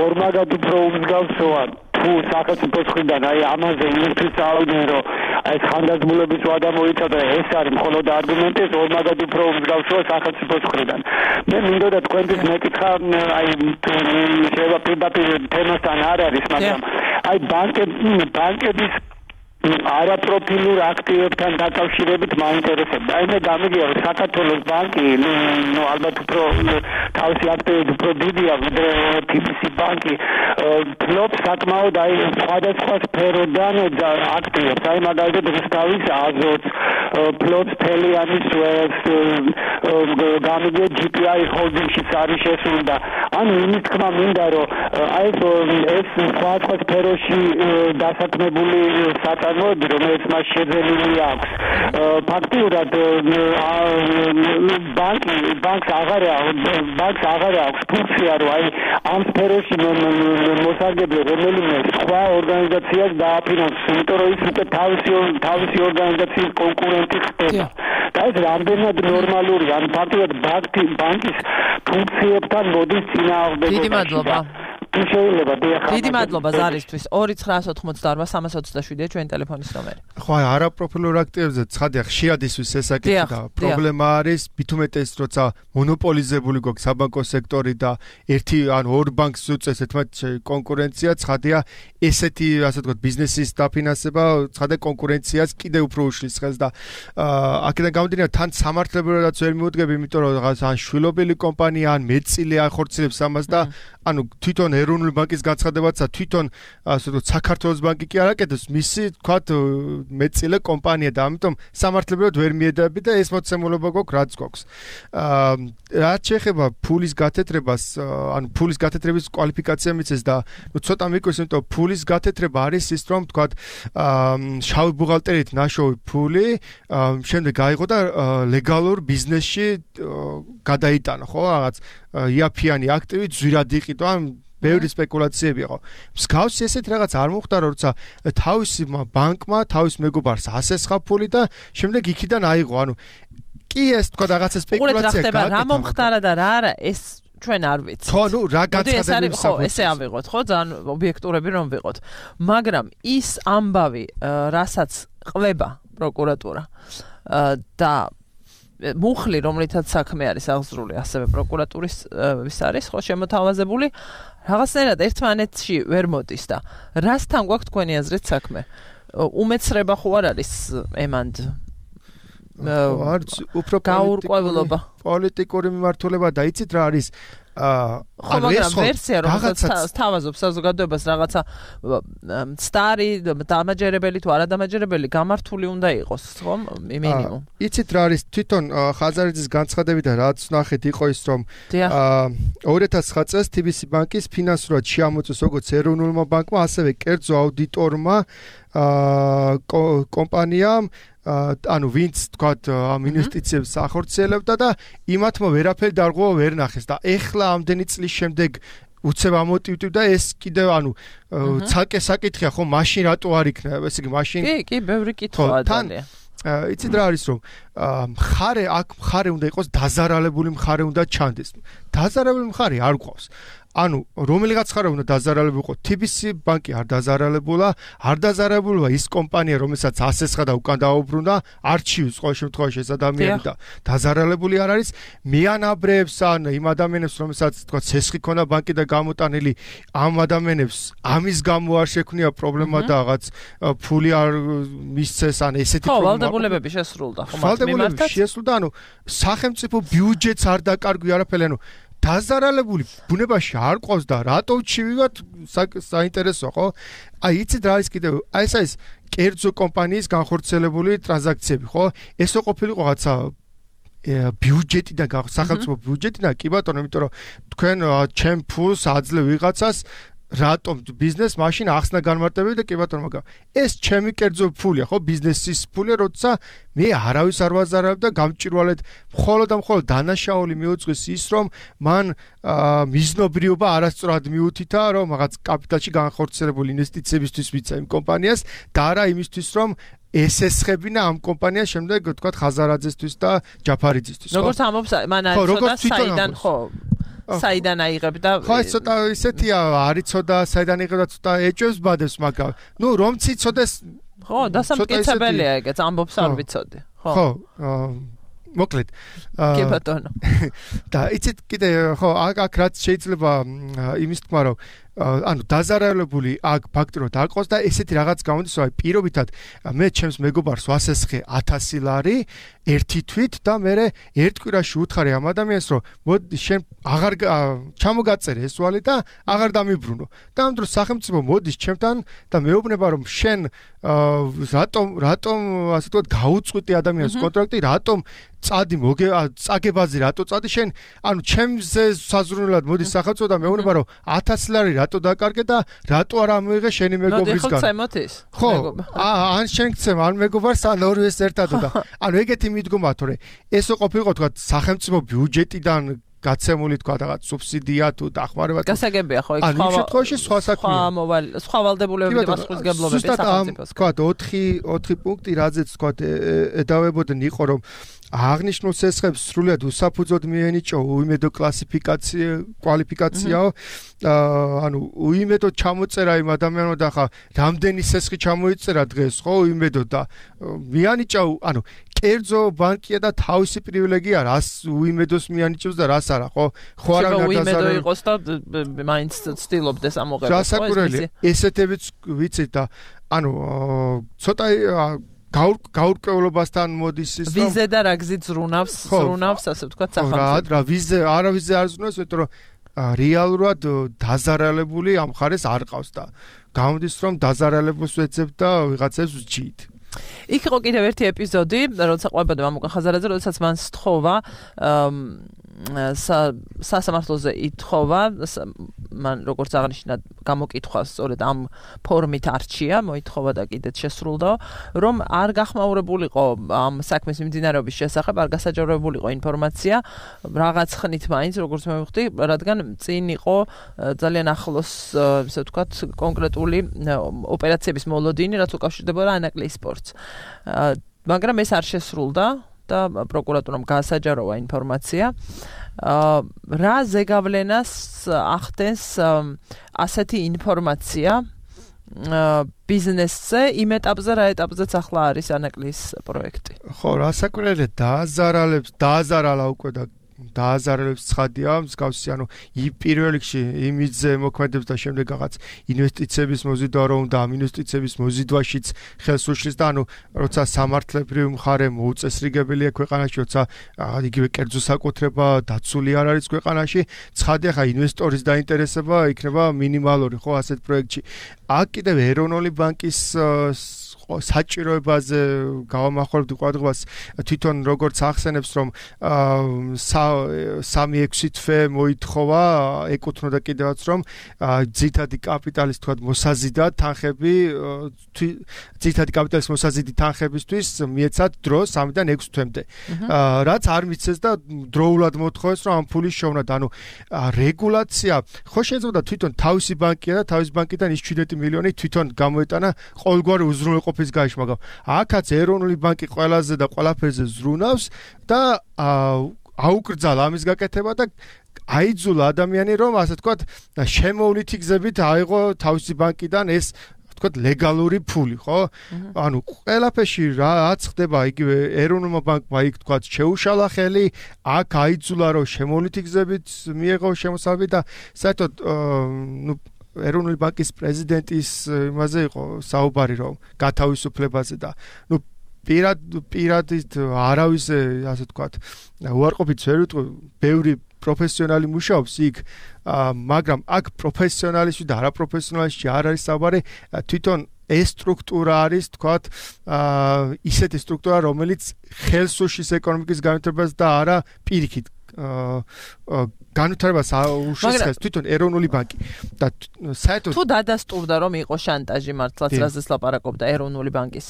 E: ორმაგად უფრო უმსგავსოა. თუ სახელმწიფოს მხრიდან აი ამაზე იმისთვის წავიდნენ, რომ აი ხანდაზმულების ვადა მოიცავდა, ეს არის მხოლოდ არგუმენტი, ეს ორმაგად უფრო უმსგავსოა სახელმწიფოს მხრიდან. მე მინდოდა თქვენთვის მეკითხა, აი შეიძლება პირდაპირ თემასთან არ არის, მაგრამ აი ბანკები ბანკების არაპროფილურ აქტივებთან დაკავშირებით მაინტერესებდა. აი მე გამიგია, რომ საქართველოს ბანკი, ნუ ალბათ უფრო თავისი აქტივები უფრო დიდია, ვიდრე T B C ბანკი, ფლობს საკმაოდ აი სხვადასხვა სფეროდან აქტივებს. აი მაგალითად რუსთავის აზოტს, ფლობს თელიანის ველს, გამიგია G P I ჰოლდინგშიც არის შესული და ანუ იმის თქმა მინდა, რომ აი ეს სხვადასხვა სფეროში დასაქმებული საწარმოები, რომელიც მას შეძენილი აქვს. ფაქტიურად ბანკი ბანკს აღარ ბანკს აღარ აქვს ფუნქცია, რომ აი ამ სფეროში მოსარგებლე რომელიმე სხვა ორგანიზაციას დააფინანსოს, იმიტომ რომ ის უკვე თავისი თავისი ორგანიზაციის კონკურენტი ხდება. და ეს რამდენად ნორმალურია, ან ფაქტიურად ბანკის ფუნქციებთან მოდის წინააღმდეგობაში.
B: დიდი მადლობა.
E: შეიძლება დიახ.
B: დიდი მადლობა ზარისთვის. ორი ცხრაას ოთხმოცდაორვა სამას ოცდაშვიდია ჩვენი ტელეფონის ნომერი.
G: ხო, არაპროფილურ აქტივებზე ცხადია ხშირად ისვის ესაკითხი და პრობლემა არის მithumetes როცა მონოპოლიზებული გვაქვს საბანკო სექტორი და ერთი ან ორ ბანკს უწევს ერთმანეთში კონკურენცია, ცხადია ესეთი ასე ვთქვათ ბიზნესის დაფინანსება, ცხადია კონკურენციას კიდევ უფრო უშლის ხელს და აქედან გამომდინარე თან სამართლებრივადაც ვერ მიუდგები, იმიტომ რომ რაღაც ან შვილობილი კომპანია ან მეწილი ახორციელებს ამას და ანუ თვითონ ეროვნული ბანკის განცხადებაცა თვითონ ასე ვთქვათ საქართველოს ბანკი კი არ აკეთებს, მისი ვთქვათ მეწილე კომპანია და ამიტომ სამართლებრივად ვერ მიედები და ეს მოცემულობა გვაქვს რაც გვაქვს. აა რაც შეეხება ფულის გათეთრებას, ანუ ფულის გათეთრების კვალიფიკაცია მიცეს და ნუ ცოტა მიკვირს, იმიტომ რომ ფულის გათეთრება არის ის რომ ვთქვათ აა შავი ბუღალტერით ნაშოვი ფული შემდეგ გაიღო და ლეგალურ ბიზნესში გადაიტანა, ხო, რაღაც იაფიანი აქტივი ძვირად იყიდო, ან ბევრი სპეკულაციები იყო. მსგავსი ესეთ რაღაც არ მოხდა, როცა თავისი ბანკმა თავის მეგობარს ასესხა ფული და შემდეგ იქიდან აიღო. ანუ კი ეს თქვა რაღაცა სპეკულაცია
B: გაკეთდა. რა მომხდარა და რა არა, ეს ჩვენ არ ვიცით.
G: ხო, ნუ რა განცხადებული
B: ხო, ესე ავიღოთ, ხო, ძალიან ობიექტურები რომ ვიყოთ. მაგრამ ის ამბავი, რასაც ყვება პროკურატურა და მუხლი, რომლითაც საქმე არის აღზრული, ასევე პროკურატურის ვის არის, ხო, შემოთავაზებული, რაღაცნაირად ერთმანეთში ვერ მოდის და რასთან გვაქვს თქვენი აზრით საქმე? უმეცრება ხო არ არის ემანდ?
G: არც უფრო
B: გაურკვევლობა.
G: პოლიტიკური მიმართულება და იცით რა არის?
B: ხო, მაგრამ ვერსია რომელსაც თავაზობს საზოგადოებას რაღაცა სტარი დამაჯერებელი თუ არადამაჯერებელი გამართული უნდა იყოს, ხო, მინიმუმ.
G: იცით რა არის? თვითონ ხაზარიძის განცხადებიდან რაც ნახეთ იყო ის რომ ორი ათას ცხრა წელს თი ბი სი ბანკის ფინანსურად შეამოწმეს როგორც ეროვნულმა ბანკმა, ასევე კერძო აუდიტორმა კომპანიამ ანუ ვინც თქვათ ამ ინვესტიციებს ახორციელებდა და იმათმა ვერაფერი დარღვევა ვერ ნახეს და ეხლა ამდენი წლის შემდეგ უცებ ამოტივტივდა ეს კიდევ ანუ ცალკე საკითხია ხო მაშინ რატო არ იქნა ესე იგი მაშინ
B: კი კი ბევრი კითხვაა ძალიან
G: იცით რა არის რომ მხარე აქ მხარე უნდა იყოს დაზარალებული მხარე უნდა ჩანდეს დაზარალებული მხარე არ გვყავს ანუ რომელიღაც ხარ უნდა დაზარალებულიყო თი ბი სი ბანკი არ დაზარალებულა არ დაზარალებულა ის კომპანია რომელსაც ასესხა და უკან დაუბრუნდა არჩივის ყოველ შემთხვევაში ეს ადამიანი და დაზარალებული არ არის მეანაბრებს ან იმ ადამიანებს რომელსაც თქვა ცესხი ქონდა ბანკი და გამოტანილი ამ ადამიანებს ამის გამო არ შექმნია პრობლემა და რაღაც ფული არ მისცეს ან ესეთი
B: პრობლემა ხო ვალდებულებები შესრულდა ხო
G: ვალდებულებები შესრულდა ანუ სახელმწიფო ბიუჯეტს არ დაკარგვი არაფერი ანუ დაზარალებული ბუნებაში არ ყავს და რატო ჩივივათ საინტერესო ხო? აი იცით რა ის კიდევ აი ეს არის კერძო კომპანიის განხორციელებული ტრანზაქციები ხო? ესო ყოფილიყო რაღაცა ბიუჯეტიდან სახელმწიფო ბიუჯეტიდან კი ბატონო იმიტომ რომ თქვენ ჩემ ფულს აძლევ ვიღაცას რატომ ბიზნეს მაშინ ახსნა განმარტებები და კი ბატონო მაგრამ ეს ჩემი კერძო ფულია ხო ბიზნესის ფულია როცა მე არავის არ ვაზარებ და გამჭირვალედ მხოლოდ და მხოლოდ დანაშაული მიუძღვის ის რომ მან მიზნობრიობა არასწორად მიუთითა რომ რაღაც კაპიტალში განხორციელებული ინვესტიციებისთვის ვიცა იმ კომპანიას და არა იმისთვის რომ ესესხებინა ამ კომპანიას შემდეგ თქვა ხაზარაძესთვის და ჯაფარიძისთვის
B: როგორც ამბობს მან არის საიდან ხო საიდან აიღებ და
G: ხო ეს ცოტა ისეთია არიცოდა საიდან აიღებ და ცოტა ეჭვებს ბადებს მაგრამ ნუ რომ ციცოდეს
B: ხო დასამტკიცებელია ეგეც ამბობს არ ვიცოდი
G: ხო ხო მოკლედ
B: კი ბატონო
G: და იცით კიდე ხო აქ რაც შეიძლება იმის თქმა რომ ანუ დაზარალებული აქ ფაქტურად არ ყავს და ესეთი რაღაც გამოდის რომ პირობითად მე ჩემს მეგობარს ვასესხე ათასი ლარი ერთი თვით და მე ერთ კვირაში უთხარი ამ ადამიანს რომ მოდი შენ აღარ ჩამოგაწერე ეს ვალი და აღარ დამიბრუნო და ამ დროს სახელმწიფო მოდის ჩემთან და მეუბნება რომ შენ რატომ რატომ ასე ვთქვათ გაუწყვეტი ადამიანის კონტრაქტი რატომ წადი მოგე წაგებაზე რატო წადი შენ ანუ ჩემზე საზრუნველად მოდის სახელმწიფო და მეუბნება რომ ათასი ლარი რატო დაკარგე და რატო არ ამოიღე შენი მეგობრისგან?
B: ნუ ხო წემოთ ის.
G: ხო, ან შენ გცემ, ან მეგობარს, ან ორივეს ერთად და ანუ ეგეთი მიდგომა თორე ესო ყოფილიყო თქვა სახელმწიფო ბიუჯეტიდან გაცემული თქვა რაღაც სუბსიდია თუ დახმარება.
B: გასაგებია ხო იქ
G: სხვა შემთხვევაში სხვა საქმეა.
B: სხვა მოვალ სხვა ვალდებულებები და პასუხისმგებლობები სახელმწიფოს.
G: თქვა ოთხი ოთხი პუნქტი რაზეც თქვა ედავებოდნენ იყო რომ აღნიშნულ ცეცხლებს სრულად უსაფუძოდ მიენიჭო უიმედო კლასიფიკაცია კვალიფიკაციაო ანუ უიმედო ჩამოწერა იმ ადამიანო და ხა რამდენი ცეცხლი ჩამოიწერა დღეს ხო უიმედო და მიანიჭა ანუ კერძო ბანკია და თავისი პრივილეგია რას უიმედოს მიანიჭებს და რას არა ხო ხო არა
B: უიმედო იყოს და მაინც ცდილობდეს ამოღებას ხო
G: გასაკურელი ესეთებიც ვიცით და ანუ ცოტა გაურკვევლობასთან მოდის ის
B: რომ ვიზე და რა გზით ზრუნავს ზრუნავს ასე ვთქვათ სახელმწიფო
G: რა ვიზე არა ვიზე არ ზრუნავს იმიტომ რომ რეალურად დაზარალებული ამ ხარეს არ ყავს და გამოდის რომ დაზარალებულს ვეცებ და ვიღაცებს ვჭით
B: იქ იყო კიდევ ერთი ეპიზოდი როცა ყვებოდა მამუკა ხაზარაძე როდესაც მან სთხოვა სასამართლოზე ითხოვა მან როგორც აღნიშნა გამოკითხვა სწორედ ამ ფორმით არჩია მოითხოვა და კიდეც შესრულდა რომ არ გახმაურებულიყო ამ საქმის მიმდინარეობის შესახებ არ გასაჯაროებულიყო ინფორმაცია რაღაც ხნით მაინც როგორც მე ვხვდი რადგან წინ იყო ძალიან ახლოს ესე ვთქვათ კონკრეტული ოპერაციების მოლოდინი რაც უკავშირდებოდა ანაკლიის სპორტს მაგრამ ეს არ შესრულდა და პროკურატურამ გაასაჯაროვა ინფორმაცია რა ზეგავლენას ახდენს ასეთი ინფორმაცია ბიზნესზე იმ ეტაპზე რა ეტაპზეც ახლა არის ანაკლიის პროექტი
G: ხო რასაკვირველია დააზარალებს დააზარალა უკვე და დააზარალებს ცხადია მსგავსი ანუ პირველ რიგში იმიძე მოქმედებს და შემდეგ რაღაც ინვესტიციების მოზიდვა რომ და ამ ინვესტიციების მოზიდვაშიც ხელს უშლის და ანუ როცა სამართლებრივი მხარე მოუწესრიგებელია ქვეყანაში როცა იგივე კერძო საკუთრება დაცული არ არის ქვეყანაში ცხადია ხა ინვესტორის დაინტერესება იქნება მინიმალური ხო ასეთ პროექტში აქ კიდევ ეროვნული ბანკის საჭიროებაზე გავამახვილებდი ყურადღებას თვითონ როგორც ახსენებს რომ სამი ექვსი თვე მოითხოვა ეკუთვნოდა კიდევაც რომ ძირითადი კაპიტალის თქვა მოსაზიდად თანხები ძირითადი კაპიტალის მოსაზიდი თანხებისთვის მიეცათ დრო სამიდან ექვს თვემდე რაც არ მიცეს და დროულად მოთხოვეს რომ ამ ფულის შოვნათ ანუ რეგულაცია ხო შეიძლება თვითონ თავისი ბანკია და თავის ბანკიდან ის შვიდმეტი მილიონი თვითონ გამოეტანა ყოველგვარი უზრუნველყოფის გაიშ მაგრამ აქაც ეროვნული ბანკი ყველაზე და ყველაფერზე ზრუნავს და აუკრძალა ამის გაკეთება და აიძულა ადამიანი რომ ასე ვთქვათ შემოვლითი გზებით აიღო თავისი ბანკიდან ეს ვთქვათ ლეგალური ფული ხო ანუ ყველაფერში რაც ხდება იგივე ეროვნულმა ბანკმა იქ ვთქვათ შეუშალა ხელი აქ აიძულა რომ შემოვლითი გზებით მიეღო შემოსავალი და საერთოდ ნუ ეროვნული ბანკის პრეზიდენტის იმაზე იყო საუბარი რომ გათავისუფლებაზე და ნუ პირად პირადით არავის ასე ვთქვათ უარყოფით ვერ ვიტყვი ბევრი პროფესიონალი მუშაობს იქ მაგრამ აქ პროფესიონალისტი და არაპროფესიონალისტი არ არის საუბარი თვითონ ეს სტრუქტურა არის თქვათ ისეთი სტრუქტურა რომელიც ხელს უშლის ეკონომიკის განვითარებას და არა პირიქით განვითარებას უშლის თვითონ ეროვნული ბანკი და საერთოდ
B: თუ დადასტურდა რომ იყო შანტაჟი მართლაც რაზეც ლაპარაკობდა ეროვნული ბანკის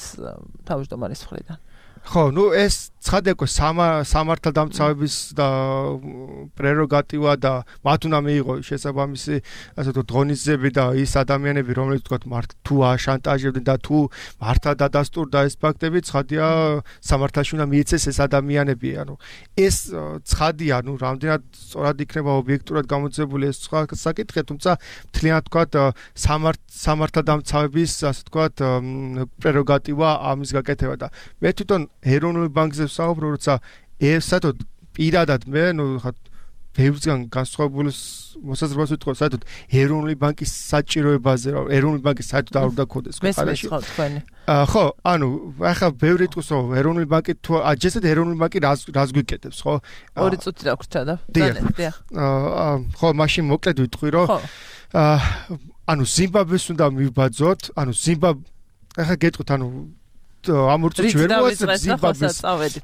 B: თავმჯდომარის მხრიდან
G: ხო ნუ ეს ცხადია სამართალდამცავების და პრეროგატივა და მათ უნდა მიიღო შესაბამისი ასე ვთქვათ ღონისძიებები და ის ადამიანები რომლებიც ვთქვათ მართ თუ აშანტაჟებდნენ და თუ მართლა დადასტურდა ეს ფაქტები ცხადია სამართალში უნდა მიეცეს ეს ადამიანები ანუ ეს ცხადია ნუ რამდენად სწორად იქნება ობიექტურად გამოძებული ეს სხვა საკითხი თუმცა მთლიანად ვთქვათ სამართალდამცავების ასე ვთქვათ პრეროგატივა ამის გაკეთება და მე თვითონ ეროვნული ბანკზე საუბრო როცა საერთოდ პირადად მე ნუ ხა ბევრგან განსხვავებული მოსაზრებას ვიტყო საერთოდ ეროვნული ბანკის საჭიროებაზე რომ ეროვნული ბანკის საერთოდ არ უნდა ქონდეს
B: ქვეყანაში ხო თქვენი
G: ხო ანუ ახლა ბევრი ტყუს რომ ეროვნული ბანკი თუ აჯესეთ ეროვნული ბანკი რას რას გვიკეთებს ხო
B: ორი წუთი დაგვრჩა და დიახ
G: ხო მაშინ მოკლედ ვიტყვი რომ ანუ ზიმბაბვეს უნდა მივბაძოთ ანუ ზიმბაბ ახლა გეტყვით ანუ ამ ორწუთში ვერ მოასწრებს ზიმბაბვეს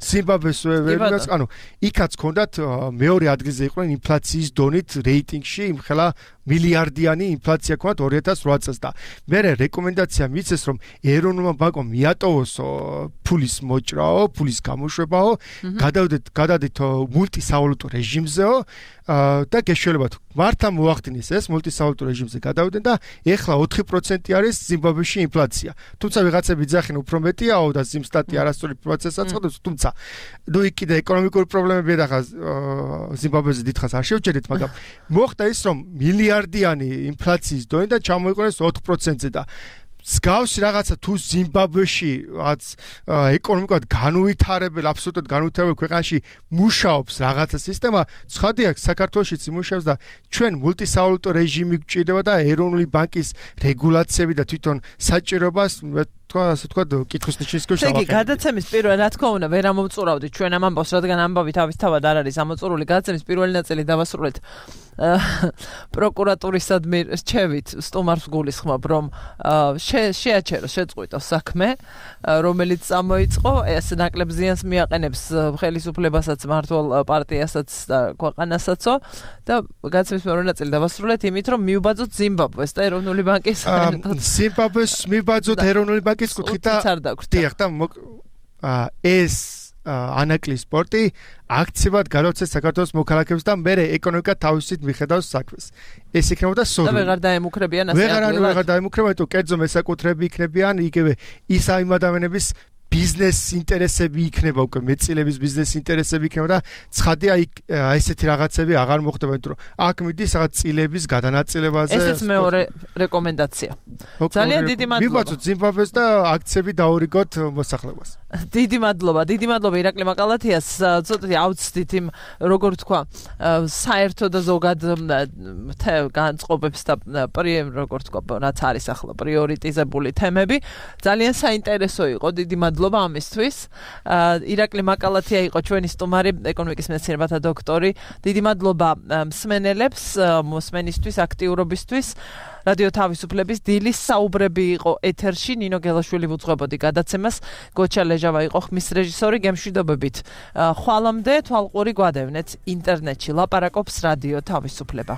G: ზიმბაბვეს ვერ ანუ იქაც ქონდათ მეორე ადგილზე იყვნენ ინფლაციის დონით რეიტინგში იმხელა მილიარდიანი ინფლაცია ქონდათ ორი ათას რვა წელს და მე რეკომენდაცია მიცეს რომ ეროვნულმა ბანკმა მიატოვოს ფულის მოჭრაო, ფულის გამოშვებაო, გადავდეთ გადადით მულტისავალუტო რეჟიმზეო და გეშველებათ მართლა მოახდინეს ეს მულტისავალუტო რეჟიმზე გადავდნენ და ეხლა ოთხი პროცენტი არის ზიმბაბვეში ინფლაცია. თუმცა ვიღაცები ძახენ უფრო მეტიაო და ზიმსტატი არასწორი ინფლაციას აწყობს, თუმცა ნუ იქ კიდე ეკონომიკური პრობლემები ახლა ზიმბაბვეზე დიდხანს არ შევჭერეთ, მაგრამ მოხდა ის რომ მილიარდიანი ინფლაციის დონე და ჩამოიყენეს ოთხ პროცენტზე და მსგავსი რაღაცა თუ ზიმბაბვეში რაც ეკონომიკურად განუვითარებელ, აბსოლუტურად განუვითარებელ ქვეყანაში მუშაობს რაღაცა სისტემა, ცხადია საქართველოშიც იმუშავებს და ჩვენ მულტისავალუტო რეჟიმი გვჭირდება და ეროვნული ბანკის რეგულაციები და თვითონ საჭიროებას თქვა ასე თქვა კითხვის ნიშნის ქვეშ
B: ავახერხებთ. იგი გადაცემის პირველ რა თქმა უნდა ვერ ამომწურავდით ჩვენ ამ ამბავს, რადგან ამბავი თავისთავად არ არის ამოწურული. გადაცემის პირველი ნაწილი დავასრულეთ პროკურატურისადმი რჩევით სტუმარს გულისხმობ რომ შეაჩერო შეწყვიტო საქმე რომელიც წამოიწყო ეს ნაკლებ ზიანს მიაყენებს ხელისუფლებასაც მართლ პარტიასაც და ქვეყანასაც და გადაცემის მეორე ნაწილი დავასრულეთ იმით რომ მიუბაძოთ ზიმბაბვეს და ეროვნული ბანკის
G: ზიმბაბვეს მიუბაძოთ ეროვნული ბანკის კუთხით და დიახ და ეს ანაკლი სპორტი აქციებად გადავცეს საქართველოს მოქალაქეებს და მე ეკონომიკა თავისით მიხედავს საქმეს. ეს იქნებოდა სორი.
B: და ვეღარ დაემუქრებიან ასე
G: აღარ ვეღარ დაემუქრებიან, თუ კერძო მესაკუთრები იქნებიან, იგივე ის ამ ადამიანების ბიზნეს ინტერესები იქნება უკვე მეწილების ბიზნეს ინტერესები იქნება და ცხადია იქ ესეთი რაღაცები აღარ მოხდება, იმიტომ რომ აქ მიდის რაღაც წილების გადანაწილებაზე.
B: ესეც მეორე რეკომენდაცია. ძალიან დიდი მადლობა.
G: მივაწვდით ზიმბაბვეს და აქციები დაურიგოთ მოსახლეობას.
B: დიდი მადლობა, დიდი მადლობა ირაკლი მაკალათიას. ცოტათი ავწდით იმ როგორ თქვა, საერთო და ზოგად განწყობებს და როგორ თქვა, რაც არის ახლა პრიორიტიზებული თემები. ძალიან საინტერესო იყო, დიდი მადლობა ამისთვის. ირაკლი მაკალათია იყო ჩვენი სტუმარი, ეკონომიკის მეცნიერებათა დოქტორი. დიდი მადლობა მსმენელებს, მოსმენისთვის, აქტიურობისთვის. რადიო თავისუფლების დილის საუბრები იყო ეთერში, ნინო გელაშვილი ვუძღვებოდი გადაცემას, გოჩა ლეჟავა იყო ხმის რეჟისორი, გემშვიდობებით. ხვალამდე თვალყური გვადევნეთ ინტერნეტში, ლაპარაკობს რადიო თავისუფლება.